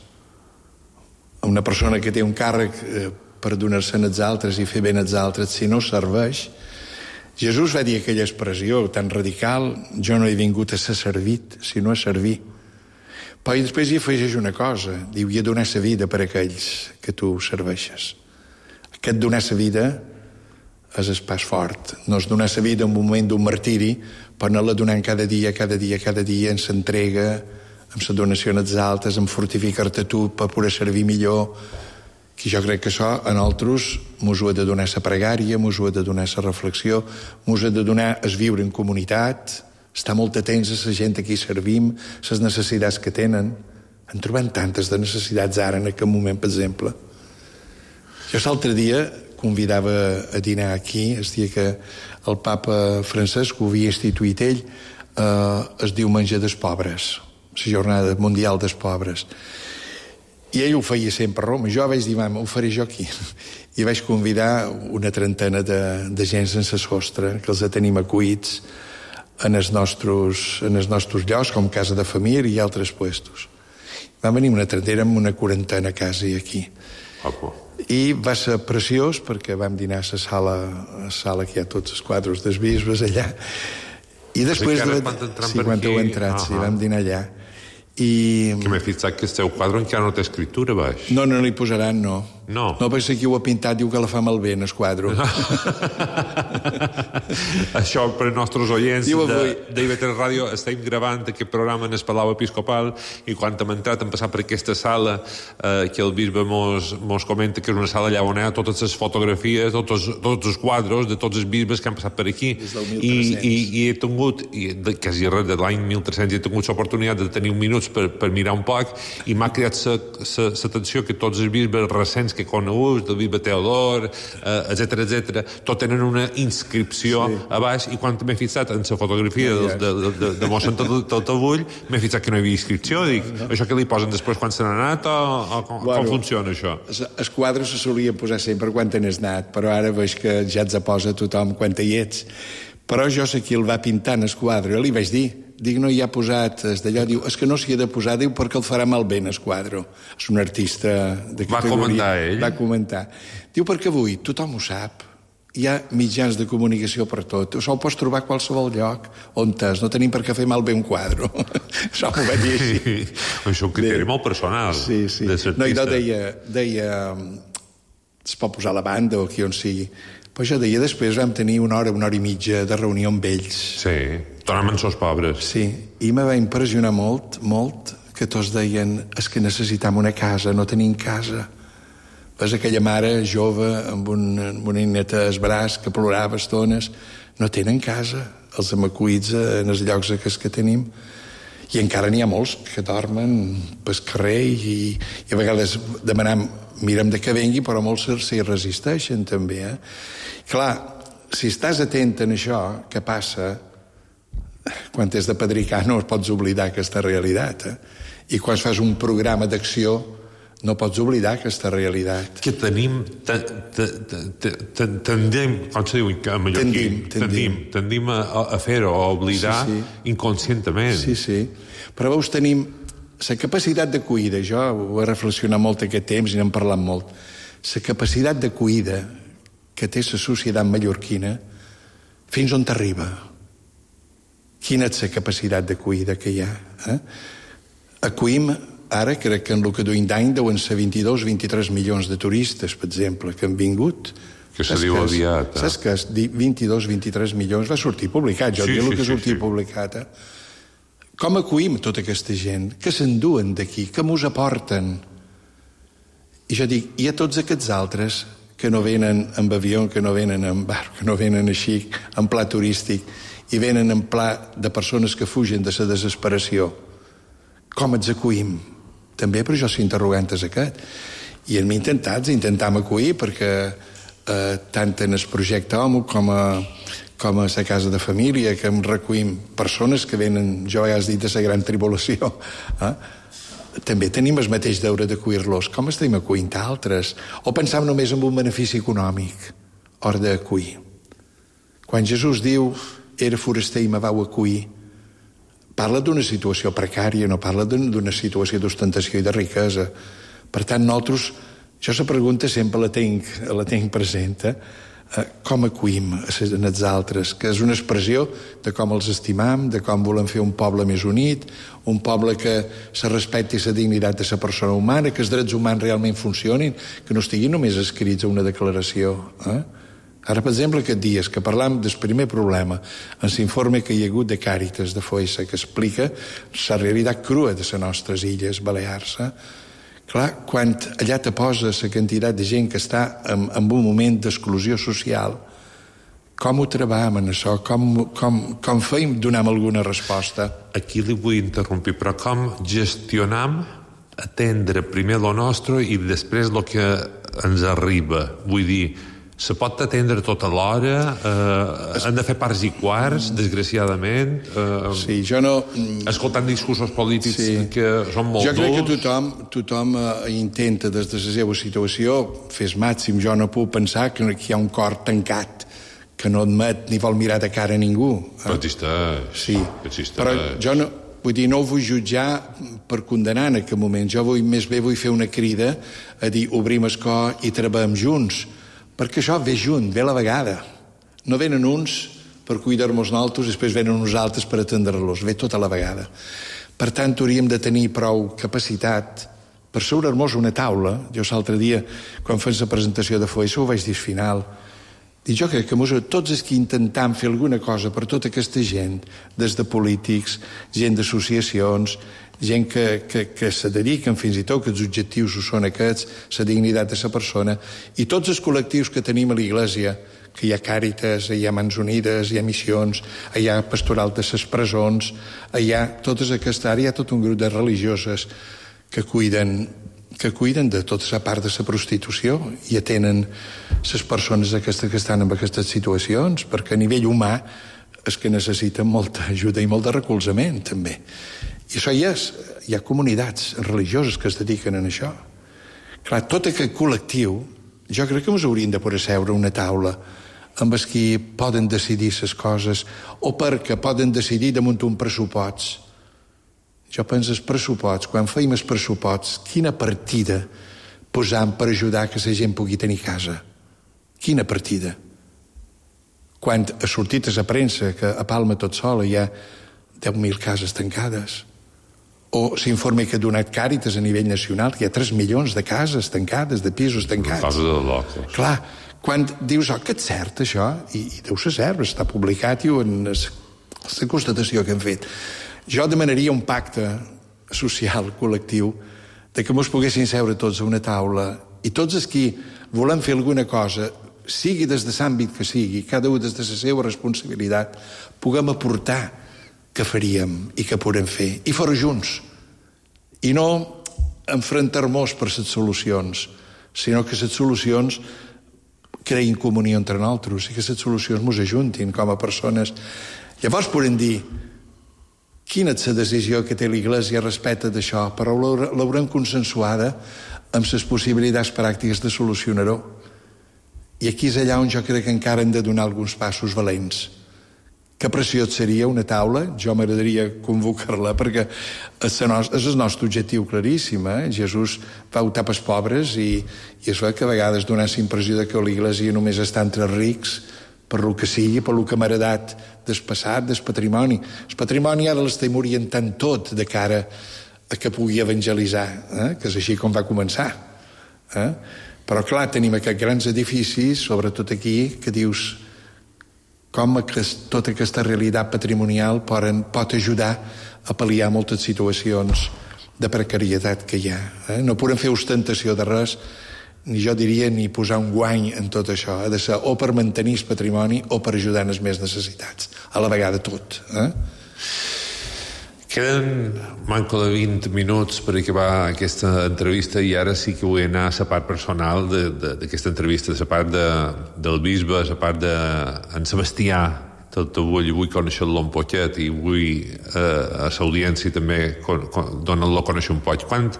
[SPEAKER 4] Una persona que té un càrrec per donar-se'n als altres i fer bé als altres, si no serveix... Jesús va dir aquella expressió tan radical: jo no he vingut a ser servit, sinó a servir. Però després hi afegeix una cosa, diu, i a donar sa vida per aquells que tu serveixes. Aquest donar sa vida és el pas fort. No és donar sa vida en un moment d'un martiri, però anar-la donant cada dia, en s'entrega, amb la donació als altres, en fortificar-te tu per poder servir millor. I jo crec que això a nosaltres mos ho ha de donar la pregària, mos ho ha de donar la reflexió, mos ha de donar el viure en comunitat, estar molt atents a la gent a qui servim, les necessitats que tenen. En trobem tantes de necessitats ara en aquest moment, per exemple. Jo l'altre dia convidava a dinar aquí, el dia que el papa Francesc ho havia instituït ell, es diu Menjar dels Pobres, la Jornada Mundial dels Pobres. I ell ho feia sempre a Roma. Jo vaig dir, mama, ho faré jo aquí. I vaig convidar una trentena de gent sense sostre, que els tenim acuïts en els nostres llocs, com casa de família i altres puestos. Va venir una trentena amb una quarantena quasi aquí. I va ser preciós perquè vam dinar a la sala que hi ha tots els quadres dels bisbes allà. I després quan heu entrat, vam dinar allà. Que
[SPEAKER 3] m'he fixat que el teu quadre encara no té escriptura baix.
[SPEAKER 4] No li posaran, no. No, perquè qui ho ha pintat diu que la fa malbé en el quadre.
[SPEAKER 3] Això per als nostres oients d'IV3 Ràdio, estem gravant aquest programa en el Palau Episcopal i quan hem entrat hem passat per aquesta sala que el bisbe mos comenta que és una sala allà on hi ha totes les fotografies, tots els quadres de tots els bisbes que han passat per aquí i he tingut, quasi res de l'any 1300, he tingut l'oportunitat de tenir un minuts per mirar un poc i m'ha creat l'atenció que tots els bisbes recents que coneguts, del bisbe Teodor, etc., tot tenen una inscripció a baix i quan m'he fixat en la fotografia de mossèn Taltabull m'he fixat que no hi havia inscripció. Dic, això que li posen després quan se n'ha anat o com funciona això?
[SPEAKER 4] Els quadres se solien posar sempre quan te n'has anat, però ara veig que ja ets a posa tothom quan hi ets. Però jo sé qui el va pintar en el quadre, li vaig dir, no hi ha posat d'allò, diu, és que no s'hi ha de posar, diu, perquè el farà malbé en el quadre. És un artista de categoria.
[SPEAKER 3] Va comentar ell?
[SPEAKER 4] Va comentar. Diu, perquè avui tothom ho sap, hi ha mitjans de comunicació per tot, això ho pots trobar a qualsevol lloc on és, no tenim per què fer malbé un quadre. Això m'ho va dir així.
[SPEAKER 3] Això és un criteri molt personal.
[SPEAKER 4] Sí. No, i no deia, es pot posar la banda o qui on sigui. Però jo deia, després vam tenir una hora i mitja de reunió amb ells.
[SPEAKER 3] Sí, tornàvem sos pobres.
[SPEAKER 4] Sí, i me va impressionar molt, que tots deien, és que necessitam una casa, no tenim casa. Ves aquella mare jove amb una neta al braç que plorava estones, no tenen casa, els amacuïts en els llocs que tenim. I encara n'hi ha molts que dormen pel carrer i a vegades demanem, mirem de que vengui, però molts s'hi resisteixen també. Clar, si estàs atent en això, què passa? Quan t'has de pedricar no pots oblidar aquesta realitat. I quan fas un programa d'acció no pots oblidar aquesta realitat.
[SPEAKER 3] Que tenim... Tendim, com se diu en mallorquí? Tendim a fer-ho, a oblidar inconscientment.
[SPEAKER 4] Sí. Però veus, tenim la capacitat d'acollida, jo ho he reflexionat molt aquest temps i n'hem parlat molt, la capacitat d'acollida que té la societat mallorquina, fins on t'arriba? Quina és la capacitat d'acollida que hi ha? Acollim, ara crec que en el que duim d'any deuen ser 22-23 milions de turistes, per exemple, que han vingut.
[SPEAKER 3] Que se diu aviat.
[SPEAKER 4] Saps que 22-23 milions va sortir publicat, jo dic el que sortia publicat, Com acollim tota aquesta gent? Què s'enduen d'aquí? Què mos aporten? I jo dic, i a tots aquests altres que no venen amb avió, que no venen amb barc, que no venen així, en pla turístic, i venen en pla de persones que fugen de la desesperació, com els acollim? També per això s'interrogant és aquest. I hem intentam acollir perquè tant en el projecte HOMO com a la casa de família, que em recollim persones que venen, jo a vegades dit, de la gran tribulació. També tenim el mateix deure d'acollir-los. Com estem acollint altres? O pensam només en un benefici econòmic, hora d'acollir. Quan Jesús diu, era foraster i me vau acollir, parla d'una situació precària, no parla d'una situació d'ostentació i de riquesa. Per tant, nosaltres, jo la pregunta sempre la tinc present, com acollim els altres, que és una expressió de com els estimam, de com volem fer un poble més unit, un poble que se respecti la dignitat de la persona humana, que els drets humans realment funcionin, que no estiguin només escrits a una declaració. Ara, per exemple, aquests dies que parlam del primer problema, en l'informe que hi ha hagut de Càritas de Foessa, que explica la realitat crua de les nostres illes Balears. Clar, quan allà te posa la quantitat de gent que està en un moment d'exclusió social, com ho treballem en això? Com feim, donem alguna resposta?
[SPEAKER 3] Aquí li vull interrompir, però com gestionam atendre primer lo nostre i després el que ens arriba? Vull dir, Se pot atendre tota l'hora, han de fer parts i quarts, desgraciadament.
[SPEAKER 4] Sí, jo no...
[SPEAKER 3] Escoltant discursos polítics que són molt durs.
[SPEAKER 4] Jo crec que tothom intenta, des de la seva situació, fer el màxim. Jo no puc pensar que hi ha un cor tancat, que no admet ni vol mirar de cara a ningú.
[SPEAKER 3] Però existeix.
[SPEAKER 4] Sí, però jo no... Vull dir, no ho vull jutjar per condenar en aquest moment. Jo més bé vull fer una crida a dir obrim el cor i treballem junts, perquè això ve junt, ve a la vegada. No venen uns per cuidar-nos nosaltres i després venen uns altres per atendre-los. Ve tot a la vegada. Per tant, hauríem de tenir prou capacitat per seure-nos una taula. Jo l'altre dia, quan fem la presentació de FOESA, ho vaig dir al final. I jo crec que tots els que intentam fer alguna cosa per tota aquesta gent, des de polítics, gent d'associacions, gent que se dediquen fins i tot que els objectius són aquests, la dignitat de la persona, i tots els col·lectius que tenim a l'Iglésia, que hi ha Càritas, hi ha Mans Unides, hi ha Missions, hi ha Pastoral de les Presons, hi ha totes aquestes àrees, hi ha tot un grup de religioses que cuiden de tota la part de la prostitució i atenen les persones aquestes que estan en aquestes situacions, perquè a nivell humà és que necessiten molta ajuda i molt de recolzament, també. I això hi ha comunitats religioses que es dediquen a això. Clar, tot aquest col·lectiu, jo crec que ens hauríem de poder seure a una taula amb els qui poden decidir les coses o perquè poden decidir damunt un pressupost. Jo penso els pressuposts, quan feim els pressuposts, quina partida posam per ajudar que la gent pugui tenir casa? Quina partida? Quan ha sortit a la premsa que a Palma tot sola hi ha 10.000 cases tancades, o s'informa que ha donat Càritas a nivell nacional, que hi ha 3 milions de cases tancades, de pisos tancats.
[SPEAKER 3] Una cosa de locos.
[SPEAKER 4] Clar, quan dius, que és cert això, i deu ser cert, està publicat i en la constatació que hem fet. Jo demanaria un pacte social, col·lectiu, de que ens poguessin seure tots a una taula i tots els qui volem fer alguna cosa, sigui des de l'àmbit que sigui, cada un des de la seva responsabilitat, puguem aportar què faríem i què podem fer, i fer junts. I no enfrontar-nos per les solucions, sinó que les solucions creïn comunió entre nosaltres i que les solucions ens ajuntin com a persones. Llavors podem dir quina és la decisió que té l'Iglésia respecte d'això, però l'haurem consensuada amb les possibilitats pràctiques de solucionar-ho. I aquí és allà on jo crec que encara hem de donar alguns passos valents. Que preciós seria una taula, jo m'agradaria convocar-la, perquè és el nostre objectiu claríssim. Jesús va optar pels pobres i es veu que a vegades dona la impressió que l'Iglésia només està entre rics, per lo que sigui, per lo que m'ha heredat del passat, del patrimoni. El patrimoni ara l'estem orientant tot de cara a que pugui evangelitzar, que és així com va començar. Però, clar, tenim aquests grans edificis, sobretot aquí, que dius com tota aquesta realitat patrimonial pot ajudar a pal·liar moltes situacions de precarietat que hi ha. No podem fer ostentació de res, ni jo diria ni posar un guany en tot això. Ha de ser o per mantenir el patrimoni o per ajudar en les més necessitats. A la vegada tot.
[SPEAKER 3] Queden manco de 20 minuts per acabar aquesta entrevista i ara sí que vull anar a la part personal d'aquesta entrevista, a la part del bisbe, a la part d'en Sebastià. Tot vull conèixer-lo un poquet i vull a l'audiència també donar-lo a conèixer un poc. Quan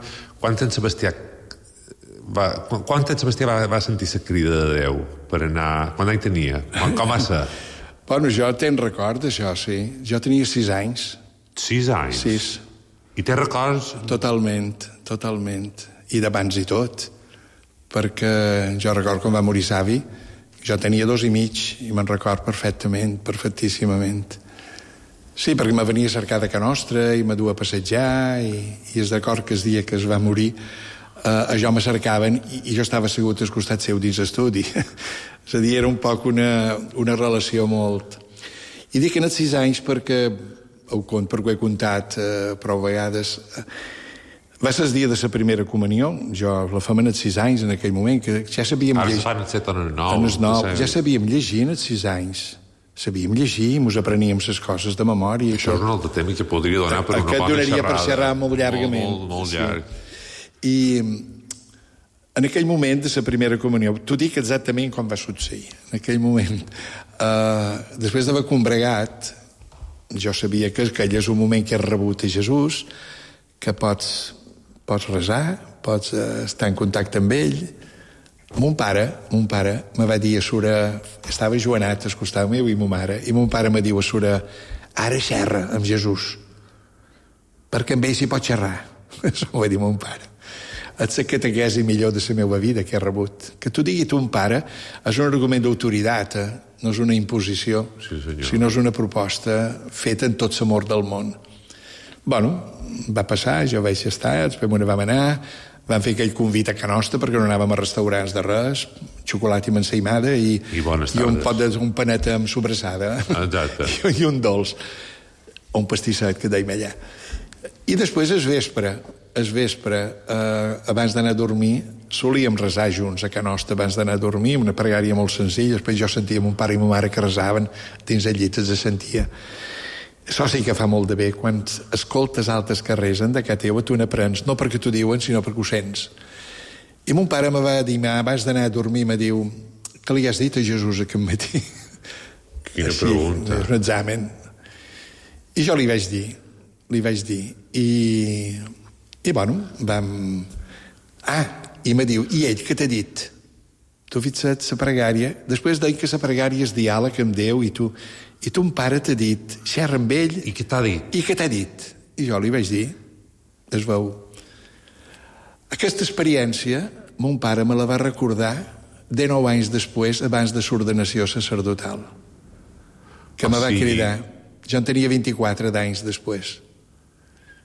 [SPEAKER 3] en Sebastià va sentir la crida de Déu per anar... Quan any tenia? Com va ser?
[SPEAKER 4] Bueno, jo tenc record d'això, sí. Jo tenia 6 anys.
[SPEAKER 3] 6 anys?
[SPEAKER 4] 6.
[SPEAKER 3] I té records?
[SPEAKER 4] Totalment. I d'abans i tot. Perquè jo record quan va morir savi, jo tenia 2 i mig i me'n record perfectíssimament. Sí, perquè me venia a cercar de Can Nostra i me duia a passejar i és d'acord que el dia que es va morir jo me cercaven i jo estava assegut al costat seu dins l'estudi. És a dir, era un poc una relació molt... I dic en els 6 anys perquè perquè ho he contat prou vegades. Va ser el dia de la primera comunió, la fem en els 6 anys en aquell moment, que ja sabíem llegir.
[SPEAKER 3] Ara se fan en 9.
[SPEAKER 4] Ja sabíem llegir en els 6 anys. Sabíem llegir, ens apreníem les coses de memòria.
[SPEAKER 3] Això és un altre tema que podria donar per una bona xerrada.
[SPEAKER 4] Aquest donaria per xerrar molt llargament.
[SPEAKER 3] Molt llarg.
[SPEAKER 4] I En aquell moment de la primera comunió, t'ho dic exactament com va succeir. En aquell moment, després d'haver combregat, jo sabia que aquell és un moment que has rebut a Jesús, que pots resar, pots estar en contacte amb ell. Mon pare me va dir a Sura, estava joanat al costat meu i mon pare me diu a Sura, ara xerra amb Jesús, perquè amb ell s'hi pot xerrar. Això ho va dir mon pare. És la catequesi millor de la meva vida que he rebut. Que t'ho digui ton pare és un argument d'autoritat, no és una imposició, sinó és una proposta feta en tot l'amor del món. Bueno, va passar, jo vaig estar, després me ne vam anar, vam fer aquell convit a Can Nostra perquè no anàvem a restaurants de res, xocolata i mansaïmada i un panet amb sobrassada i un dolç, un pastisset que dèiem allà. I després al vespre, abans d'anar a dormir, solíem resar junts a Can Nostra abans d'anar a dormir, una pregària molt senzilla. Després jo sentia mon pare i ma mare que resaven dins el llit, se sentia. Això sí que fa molt de bé. Quan escoltes altres que resen de casa teva, tu n'aprens, no perquè t'ho diuen, sinó perquè ho sents. I mon pare me va dir, abans d'anar a dormir, me diu, què li has dit a Jesús aquest matí?
[SPEAKER 3] Quina pregunta.
[SPEAKER 4] És un examen. I jo li vaig dir. I bueno, vam... i me diu, i ell què t'ha dit? Tu fixa't, la pregària, després deia que la pregària és diàleg amb Déu i ton pare t'ha dit, xerra amb ell...
[SPEAKER 3] I què t'ha dit?
[SPEAKER 4] I jo li vaig dir, es veu. Aquesta experiència, mon pare me la va recordar 19 anys després, abans de l'ordenació sacerdotal, que me va cridar. Jo en tenia 24 d'anys després.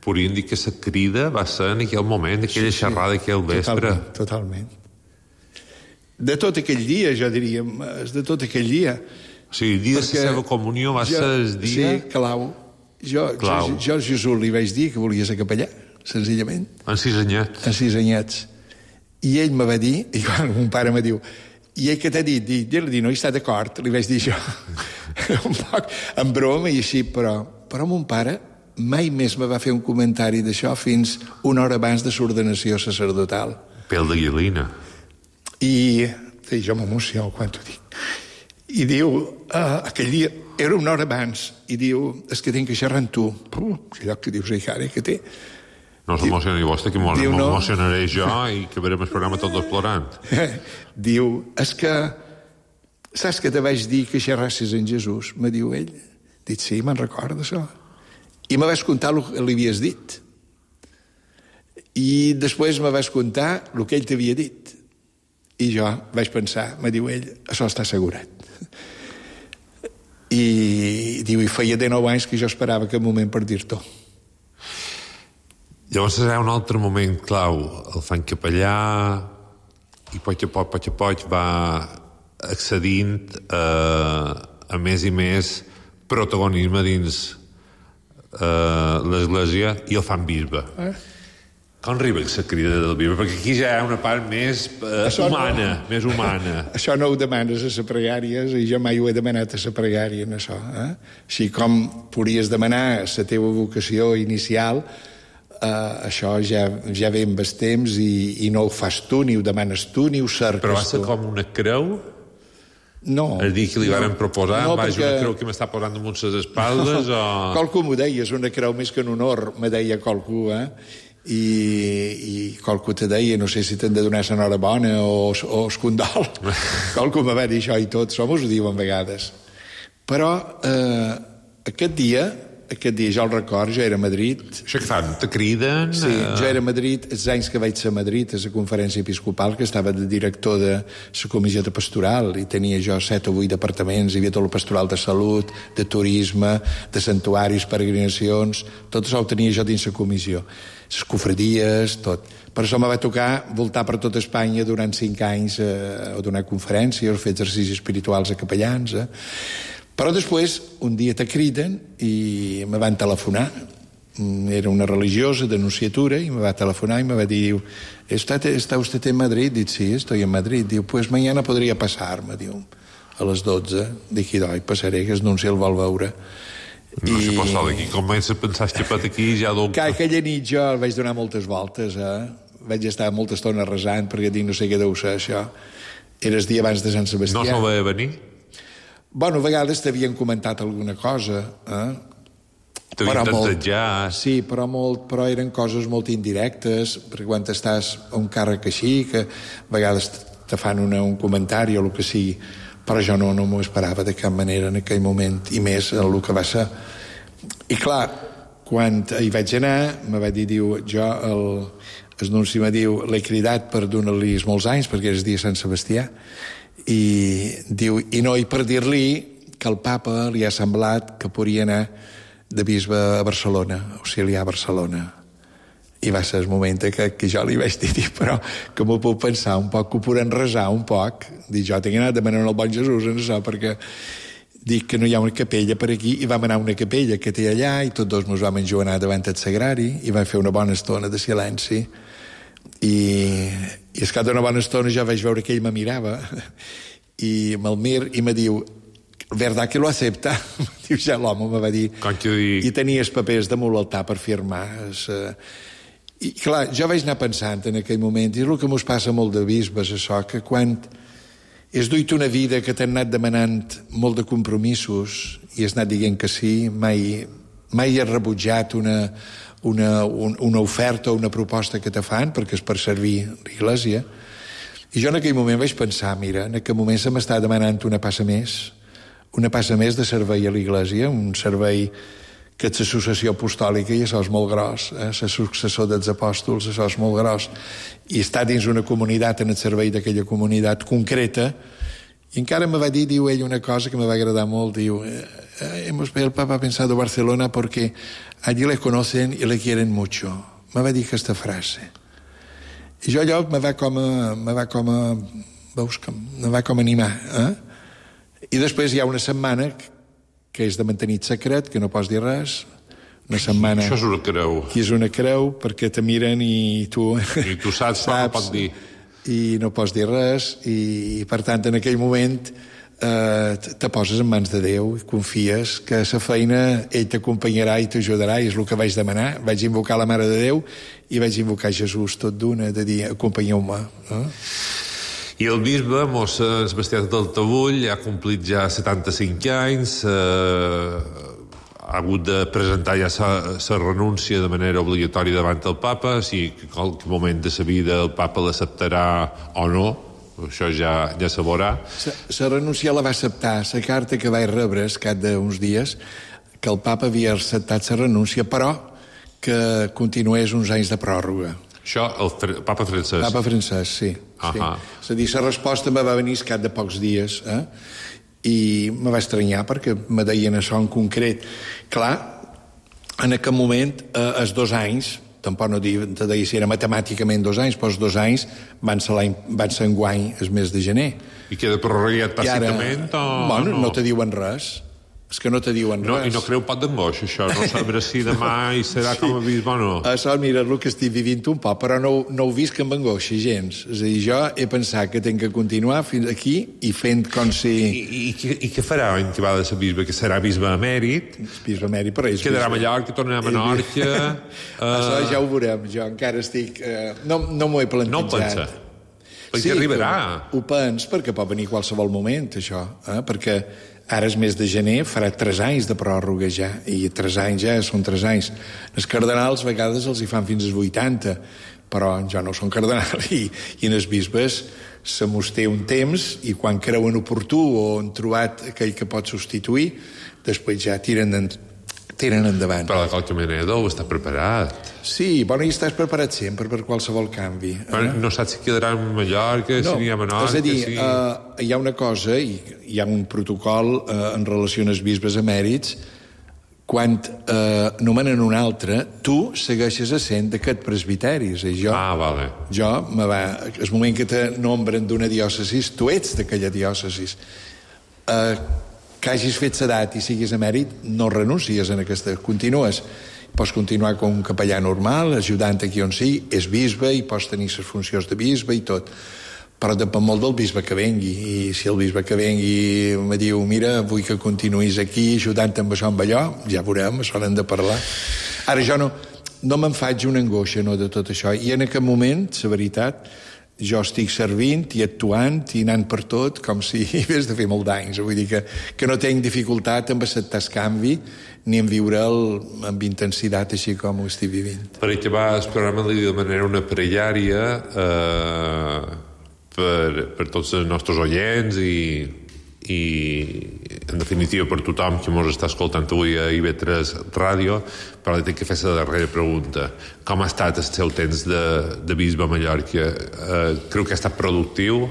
[SPEAKER 3] Podríem dir que la crida va ser en aquell moment, aquella xerrada, aquell vespre.
[SPEAKER 4] Totalment. De tot aquell dia, jo diria, de tot aquell dia.
[SPEAKER 3] O sigui, el dia de la seva comunió va ser el dia...
[SPEAKER 4] Sí, clau. Jo a Jesús li vaig dir que volia ser capellà, senzillament.
[SPEAKER 3] En 6 anyets.
[SPEAKER 4] En 6 anyets. I ell me va dir, i quan mon pare me diu, i ell què t'ha dit? Jo li dic, no hi està d'acord, li vaig dir jo. Un poc en broma i així, però mon pare mai més me va fer un comentari d'això fins una hora abans de l'ordenació sacerdotal.
[SPEAKER 3] Pèl de guilina.
[SPEAKER 4] I jo m'emociono quan t'ho dic. I diu, aquell dia, era una hora abans, i diu, és que tinc que xerrar amb tu. Allò que dius, cara, que té.
[SPEAKER 3] No s'emocioni vostè, que m'emocionaré jo i que verem el programa tots dos plorant.
[SPEAKER 4] Diu, és que, saps que te vaig dir que xerrassis en Jesús? Me diu ell. Dic, sí, me'n recordo, això. I me vas contar el que li havies dit. I després me vas contar el que ell t'havia dit. I jo vaig pensar, me diu ell, això està assegurat. I diu, i feia 19 anys que jo esperava aquest moment per dir-t'ho.
[SPEAKER 3] Llavors serà un altre moment clau. El fan capellà i poc a poc va accedint a més i més protagonisme dins l'Església i el fan bisbe. Com arriba la crida del bisbe? Perquè aquí ja hi ha una part més humana, més humana.
[SPEAKER 4] Això no ho demanes a la pregària i jo mai ho he demanat a la pregària, en això. Així com podries demanar la teva vocació inicial, això ja ve amb el temps i no ho fas tu, ni ho demanes tu, ni ho cerques tu.
[SPEAKER 3] Però va ser com una creu?
[SPEAKER 4] No.
[SPEAKER 3] És dir, que li van proposar, una creu que m'està posant damunt les espaldes, o...
[SPEAKER 4] Qualcú m'ho deia, és una creu més que en honor, me deia qualcú, i qualcú te deia, no sé si t'han de donar l'enhorabona o el condol. Qualcú me va dir això i tot, som us ho diuen vegades. Però aquest dia jo el record, jo era a Madrid.
[SPEAKER 3] Això que fan? Te criden?
[SPEAKER 4] Sí, jo era a Madrid, els anys que vaig ser a Madrid, a la conferència episcopal, que estava de director de la comissió de pastoral, i tenia jo 7 o 8 departaments, hi havia tot el pastoral de salut, de turisme, de santuaris, peregrinacions, tot això ho tenia jo dins la comissió. Les cofradies, tot. Per això me va tocar voltar per tot Espanya durant 5 anys a donar conferències, fer exercicis espirituals a capellans, Però després, un dia te criden i me van telefonar. Era una religiosa d'Anunciatura i me va telefonar i me va dir, ¿está usted en Madrid? Dic, sí, estoy en Madrid. Diu, pues mañana podría pasar, me diu, a les 12. Dic, idò, passaré, que el nunci el vol veure.
[SPEAKER 3] No se pot estar d'aquí. Comença a pensar que aquí ja...
[SPEAKER 4] Aquella nit jo el vaig donar moltes voltes, vaig estar molta estona resant perquè dic, no sé què deu ser això. Era el dia abans de Sant Sebastià.
[SPEAKER 3] No se'l veia venir?
[SPEAKER 4] Bueno, a vegades t'havien comentat alguna cosa,
[SPEAKER 3] T'havien tantatjat.
[SPEAKER 4] Sí, però eren coses molt indirectes, perquè quan estàs a un càrrec així, que a vegades te fan un comentari o el que sigui, però jo no m'ho esperava de cap manera en aquell moment, i més el que va ser. I clar, quan hi vaig anar, me va dir, diu, jo, el nunci me diu, l'he cridat per donar-li molts anys, perquè és dia Sant Sebastià, i diu, i per dir-li que el papa li ha semblat que podria anar de bisbe a Barcelona, auxiliar a Barcelona. I va ser el moment que jo li vaig dir, però que m'ho puc pensar un poc, que ho podem resar un poc. Dic, jo tinc anat demanant al bon Jesús en això, perquè dic que no hi ha una capella per aquí, i vam anar a una capella que té allà, i tots dos ens vam enjoanar davant el sagrari, i vam fer una bona estona de silenci, i és que d'una bona estona jo vaig veure que ell me mirava, i me'l mir, i me diu, ¿verdad que lo acepta? Diu, ja l'home me va dir, i tenia els papers damunt l'altar per firmar. I clar, jo vaig anar pensant en aquell moment, i és el que mos passa molt de bisbes, això, que quan has duit una vida que t'han anat demanant molt de compromisos i has anat dient que sí, mai has rebutjat una oferta o una proposta que te fan, perquè és per servir l'Església. I jo en aquell moment vaig pensar, mira, en aquell moment se m'està demanant una passa més de servei a l'Església, un servei que és l'associació apostòlica, i això és molt gros, la successor dels apòstols, això és molt gros, i està dins una comunitat, en el servei d'aquella comunitat concreta. I encara me va dir, diu ell, una cosa que me va agradar molt, diu, el Papa ha pensado Barcelona porque allí le conocen y le quieren mucho. Me va dir aquesta frase. I jo allò me va com animar, I després hi ha una setmana que és de mantenir secret, que no pots dir res. Una setmana...
[SPEAKER 3] Això és una creu.
[SPEAKER 4] Que és una creu, perquè te miren i tu...
[SPEAKER 3] I tu saps, però no pots dir.
[SPEAKER 4] I no pots dir res, i per tant, en aquell moment te poses en mans de Déu i confies que la feina ell t'acompanyarà i t'ajudarà, i és el que vaig demanar. Vaig invocar la Mare de Déu i vaig invocar Jesús tot d'una, de dir, acompanyeu-me.
[SPEAKER 3] I el bisbe, mos Sebastià del Tabull, ha complit ja 75 anys, ha hagut de presentar ja la renúncia de manera obligatòria davant del papa, si en qualsevol moment de la vida el papa l'acceptarà o no, això ja se veurà.
[SPEAKER 4] La renúncia la va acceptar, la carta que vaig rebre al cap d'uns dies, que el papa havia acceptat la renúncia, però que continués uns anys de pròrroga.
[SPEAKER 3] Això, el papa Francesc.
[SPEAKER 4] Papa Francesc, sí. Sí. És a dir, la resposta me va venir al cap de pocs dies, i me va estranyar perquè me deien això en concret. Clar, en aquell moment, els 2 anys, tampoc no te deia si era matemàticament 2 anys, però els 2 anys van ser enguany el mes de gener.
[SPEAKER 3] I queda prorrogat tàcitament o
[SPEAKER 4] bueno, no te diuen res. És que no te diuen res.
[SPEAKER 3] I no creu pot d'angoixa, això? No sabrà si demà hi serà com a bisbe o no?
[SPEAKER 4] Això, mira, el que estic vivint un poc, però no ho visc amb angoixa gens. És a dir, jo he pensat que tinc que continuar fins aquí i fent com si...
[SPEAKER 3] I què farà en que va de ser bisbe? Que serà bisbe emèrit?
[SPEAKER 4] Bisbe emèrit, però és
[SPEAKER 3] quedarà a Mallorca, tornarà a Menorca...
[SPEAKER 4] Això ja ho veurem. Jo encara estic... No m'ho he plantejat.
[SPEAKER 3] No ho pensa? Perquè arribarà.
[SPEAKER 4] Ho pens, perquè pot venir qualsevol moment, això. Perquè ara és mes de gener, farà 3 anys de pròrroga ja, i 3 anys ja són 3 anys. Els cardenals a vegades els hi fan fins als 80, però jo no som cardenal, i en els bisbes se mos té un temps, i quan creuen oportú o han trobat aquell que pot substituir, després ja tiren endavant.
[SPEAKER 3] Però de qualque manera deu estar preparat.
[SPEAKER 4] Sí, bueno, i estàs preparat sempre per qualsevol canvi.
[SPEAKER 3] Però no saps si quedarà a Mallorca, si anirà a Menorca...
[SPEAKER 4] És a dir, hi ha una cosa, i hi ha un protocol en relació als bisbes emèrits, quan nomenen un altre, tu segueixes essent d'aquest presbiteri. És a dir,
[SPEAKER 3] vale.
[SPEAKER 4] Jo, el moment que te nombren d'una diòcesi, tu ets d'aquella diòcesi. Que hagis fet l'edat i siguis emèrit, no renuncies en aquesta, continues. Pots continuar com un capellà normal, ajudant aquí on sigui, és bisbe i pots tenir les funcions de bisbe i tot. Però depèn molt del bisbe que vengui, i si el bisbe que vengui me diu, mira, vull que continuïs aquí ajudant amb això, amb allò, ja veurem, això n'hem de parlar. Ara jo no... no me'n faig una angoixa, no, de tot això. I en aquest moment, la veritat, jo estic servint i actuant i anant per tot com si hagués de fer molt d'anys. Vull dir que no tinc dificultat en acceptar el canvi ni en viure'l amb intensitat així com ho estic vivint.
[SPEAKER 3] Per acabar el programa li demanaré una pregària per tots els nostres oients i en definitiva per tothom que ens està escoltant avui a IB3 Ràdio, però li tinc que fer la darrera pregunta. Com ha estat el seu temps de bisbe a Mallorca? Creu que ha estat productiu?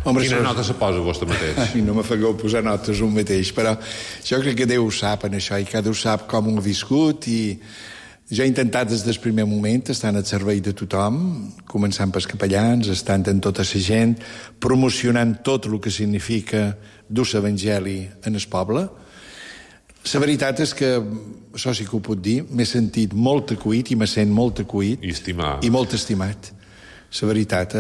[SPEAKER 4] Home,
[SPEAKER 3] quina nota se posa vostè mateix?
[SPEAKER 4] Ai, no me fagueu posar notes un mateix, però jo crec que Déu ho sap en això i cada ho sap com ho ha viscut i jo he intentat des del primer moment estar al servei de tothom, començant pels capellans, estant en tota la gent, promocionant tot el que significa dur l'Evangeli en el poble. La veritat és que, això sí que ho puc dir, m'he sentit molt acollit i me sent molt acollit.
[SPEAKER 3] I estimat.
[SPEAKER 4] I molt estimat. La veritat,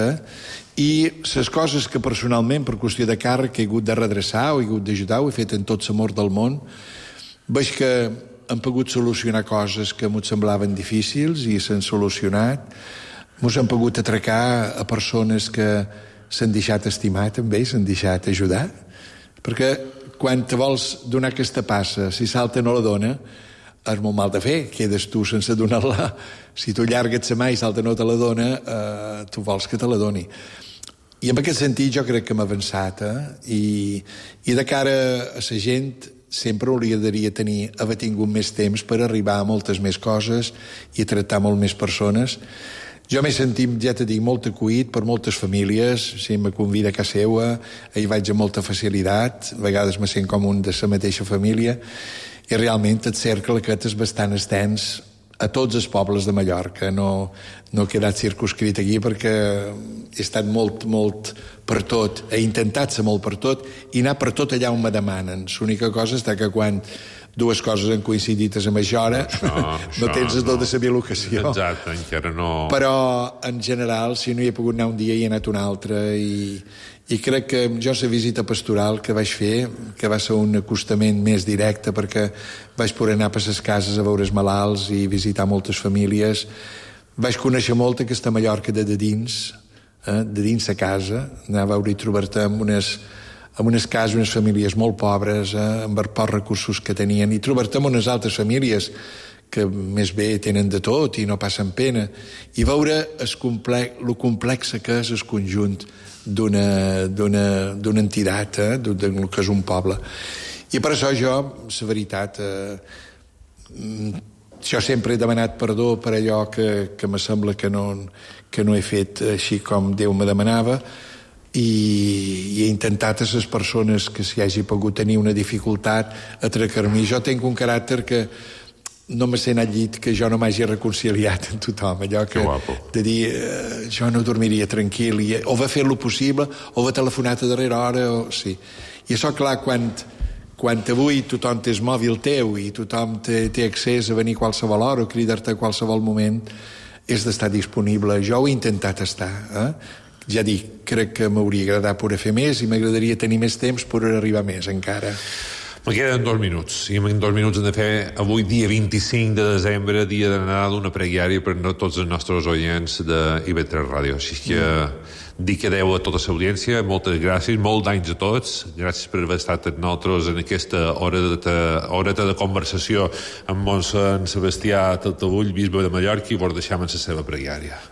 [SPEAKER 4] I les coses que personalment, per qüestió de càrrec, he hagut de redreçar o he hagut d'ajudar, ho he fet en tot l'amor del món, veig que hem pogut solucionar coses que m'ho semblaven difícils i s'han solucionat. Mos hem pogut atracar a persones que s'han deixat estimar també, s'han deixat ajudar. Perquè quan te vols donar aquesta passa, si salta no la dona, és molt mal de fer, quedes tu sense donar-la. Si tu llargues la mà i salta no te la dona, tu vols que te la doni. I en aquest sentit jo crec que hem avançat, I de cara a la gent sempre hauria haver tingut més temps per arribar a moltes més coses i a tractar molt més persones. Jo m'he sentit, ja t'he dit, molt acollit per moltes famílies, si me convida a casa seva, hi vaig amb molta facilitat, a vegades me sent com un de la mateixa família, i realment el cercle aquest és bastant extens a tots els pobles de Mallorca. No he quedat circunscrit aquí perquè he estat molt per tot, he intentat ser molt per tot i anar per tot allà on me demanen. L'única cosa és que quan dues coses han coincidit a la mateixa hora no tens el do de saber l'ocasió.
[SPEAKER 3] Exacte, encara no.
[SPEAKER 4] Però en general, si no hi he pogut anar un dia hi he anat un altre i crec que jo la visita pastoral que vaig fer, que va ser un acostament més directe perquè vaig poder anar per les cases a veure els malalts i visitar moltes famílies, vaig conèixer molt aquesta Mallorca de dins la casa, anar a veure i trobar-te amb unes cases, unes famílies molt pobres, amb els pocs recursos que tenien, i trobar-te amb unes altres famílies que més bé tenen de tot i no passen pena, i veure lo complex que és el conjunt d'una entitat, del que és un poble. I per això jo, la veritat, jo sempre he demanat perdó per allò que me sembla que no he fet així com Déu me demanava, i he intentat a les persones que s'hi hagi pogut tenir una dificultat atracar-me. Jo tinc un caràcter que no me sent al llit que jo no m'hagi reconciliat amb tothom, allò que de dir jo no dormiria tranquil, o va fer lo possible o va telefonat a darrera hora sí. I això clar, quan avui tothom té el mòbil teu i tothom té accés a venir a qualsevol hora o cridar-te a qualsevol moment, és d'estar disponible. Jo ho he intentat estar, ja dic, crec que m'hauria agradat poder fer més i m'agradaria tenir més temps per arribar més encara.
[SPEAKER 3] Me queden 2 minuts, i en 2 minuts hem de fer avui, dia 25 de desembre, dia de Nadal, una pregària per a tots els nostres oients de IB3 Ràdio. Així que dic adeu a tota l'audiència, moltes gràcies, molts anys a tots, gràcies per haver estat amb nosaltres en aquesta horeta de conversació amb mossèn Sebastià Taltabull, bisbe de Mallorca, i vos deixam en la seva pregària.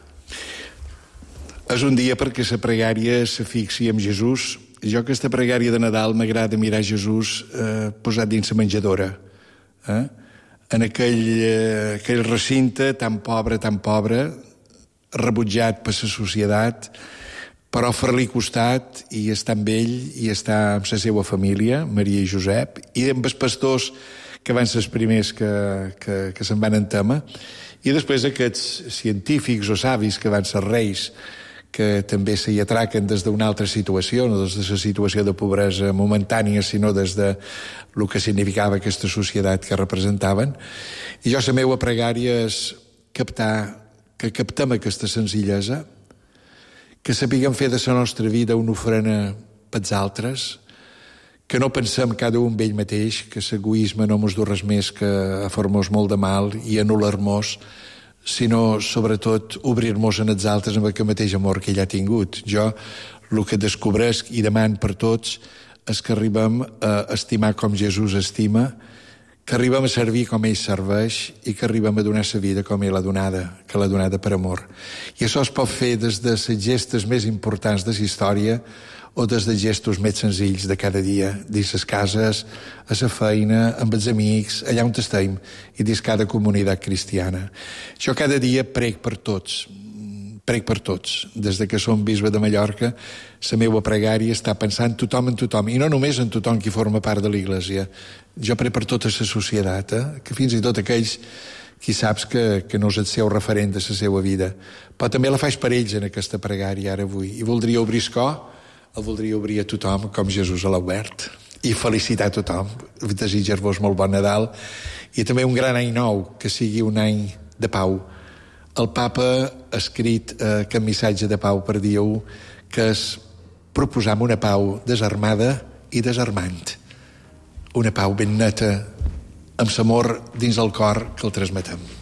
[SPEAKER 4] És un dia perquè la pregària se fixi en Jesús. Jo aquesta pregària de Nadal m'agrada mirar Jesús posat dins la menjadora, en aquell recinte tan pobre, rebutjat per la societat, però fer-li costat i estar amb ell i estar amb la seva família, Maria i Josep, i amb els pastors que van ser els primers que se'n van en tema, i després aquests científics o savis que van ser reis, que també s'hi atraquen des d'una altra situació, no des de la situació de pobresa momentània, sinó des de el que significava aquesta societat que representaven. I jo la meva pregària és que captem aquesta senzillesa, que sapiguem fer de la nostra vida una ofrena pels altres, que no pensem cada un ell mateix, que l'egoisme no mos du res més que a fer-nos molt de mal i anul·lar-nos, sinó, sobretot, obrir-nos en els altres amb el mateix amor que ell ha tingut. Jo, el que descobresc i deman per tots és que arribem a estimar com Jesús estima, que arribem a servir com ell serveix i que arribem a donar la vida com ell l'ha donada, que l'ha donada per amor. I això es pot fer des de les gestes més importants de la història o des de gestos més senzills de cada dia, dins les cases, a la feina, amb els amics, allà on estem, i dins cada comunitat cristiana. Jo cada dia prec per tots. Des de que som bisbe de Mallorca, la meva pregària està pensant tothom en tothom, i no només en tothom qui forma part de l'Església. Jo prec per tota la societat, que fins i tot aquells qui saps que no és el seu referent de la seva vida. Però també la faig per ells en aquesta pregària ara avui. I voldria obrir el cor, el voldria obrir a tothom com Jesús l'ha obert. I felicitar a tothom. Desitjar-vos molt bon Nadal. I també un gran any nou, que sigui un any de pau. El papa ha escrit aquest missatge de pau per dia 1, que és proposar una pau desarmada i desarmant. Una pau ben neta, amb l'amor dins el cor que el transmetem.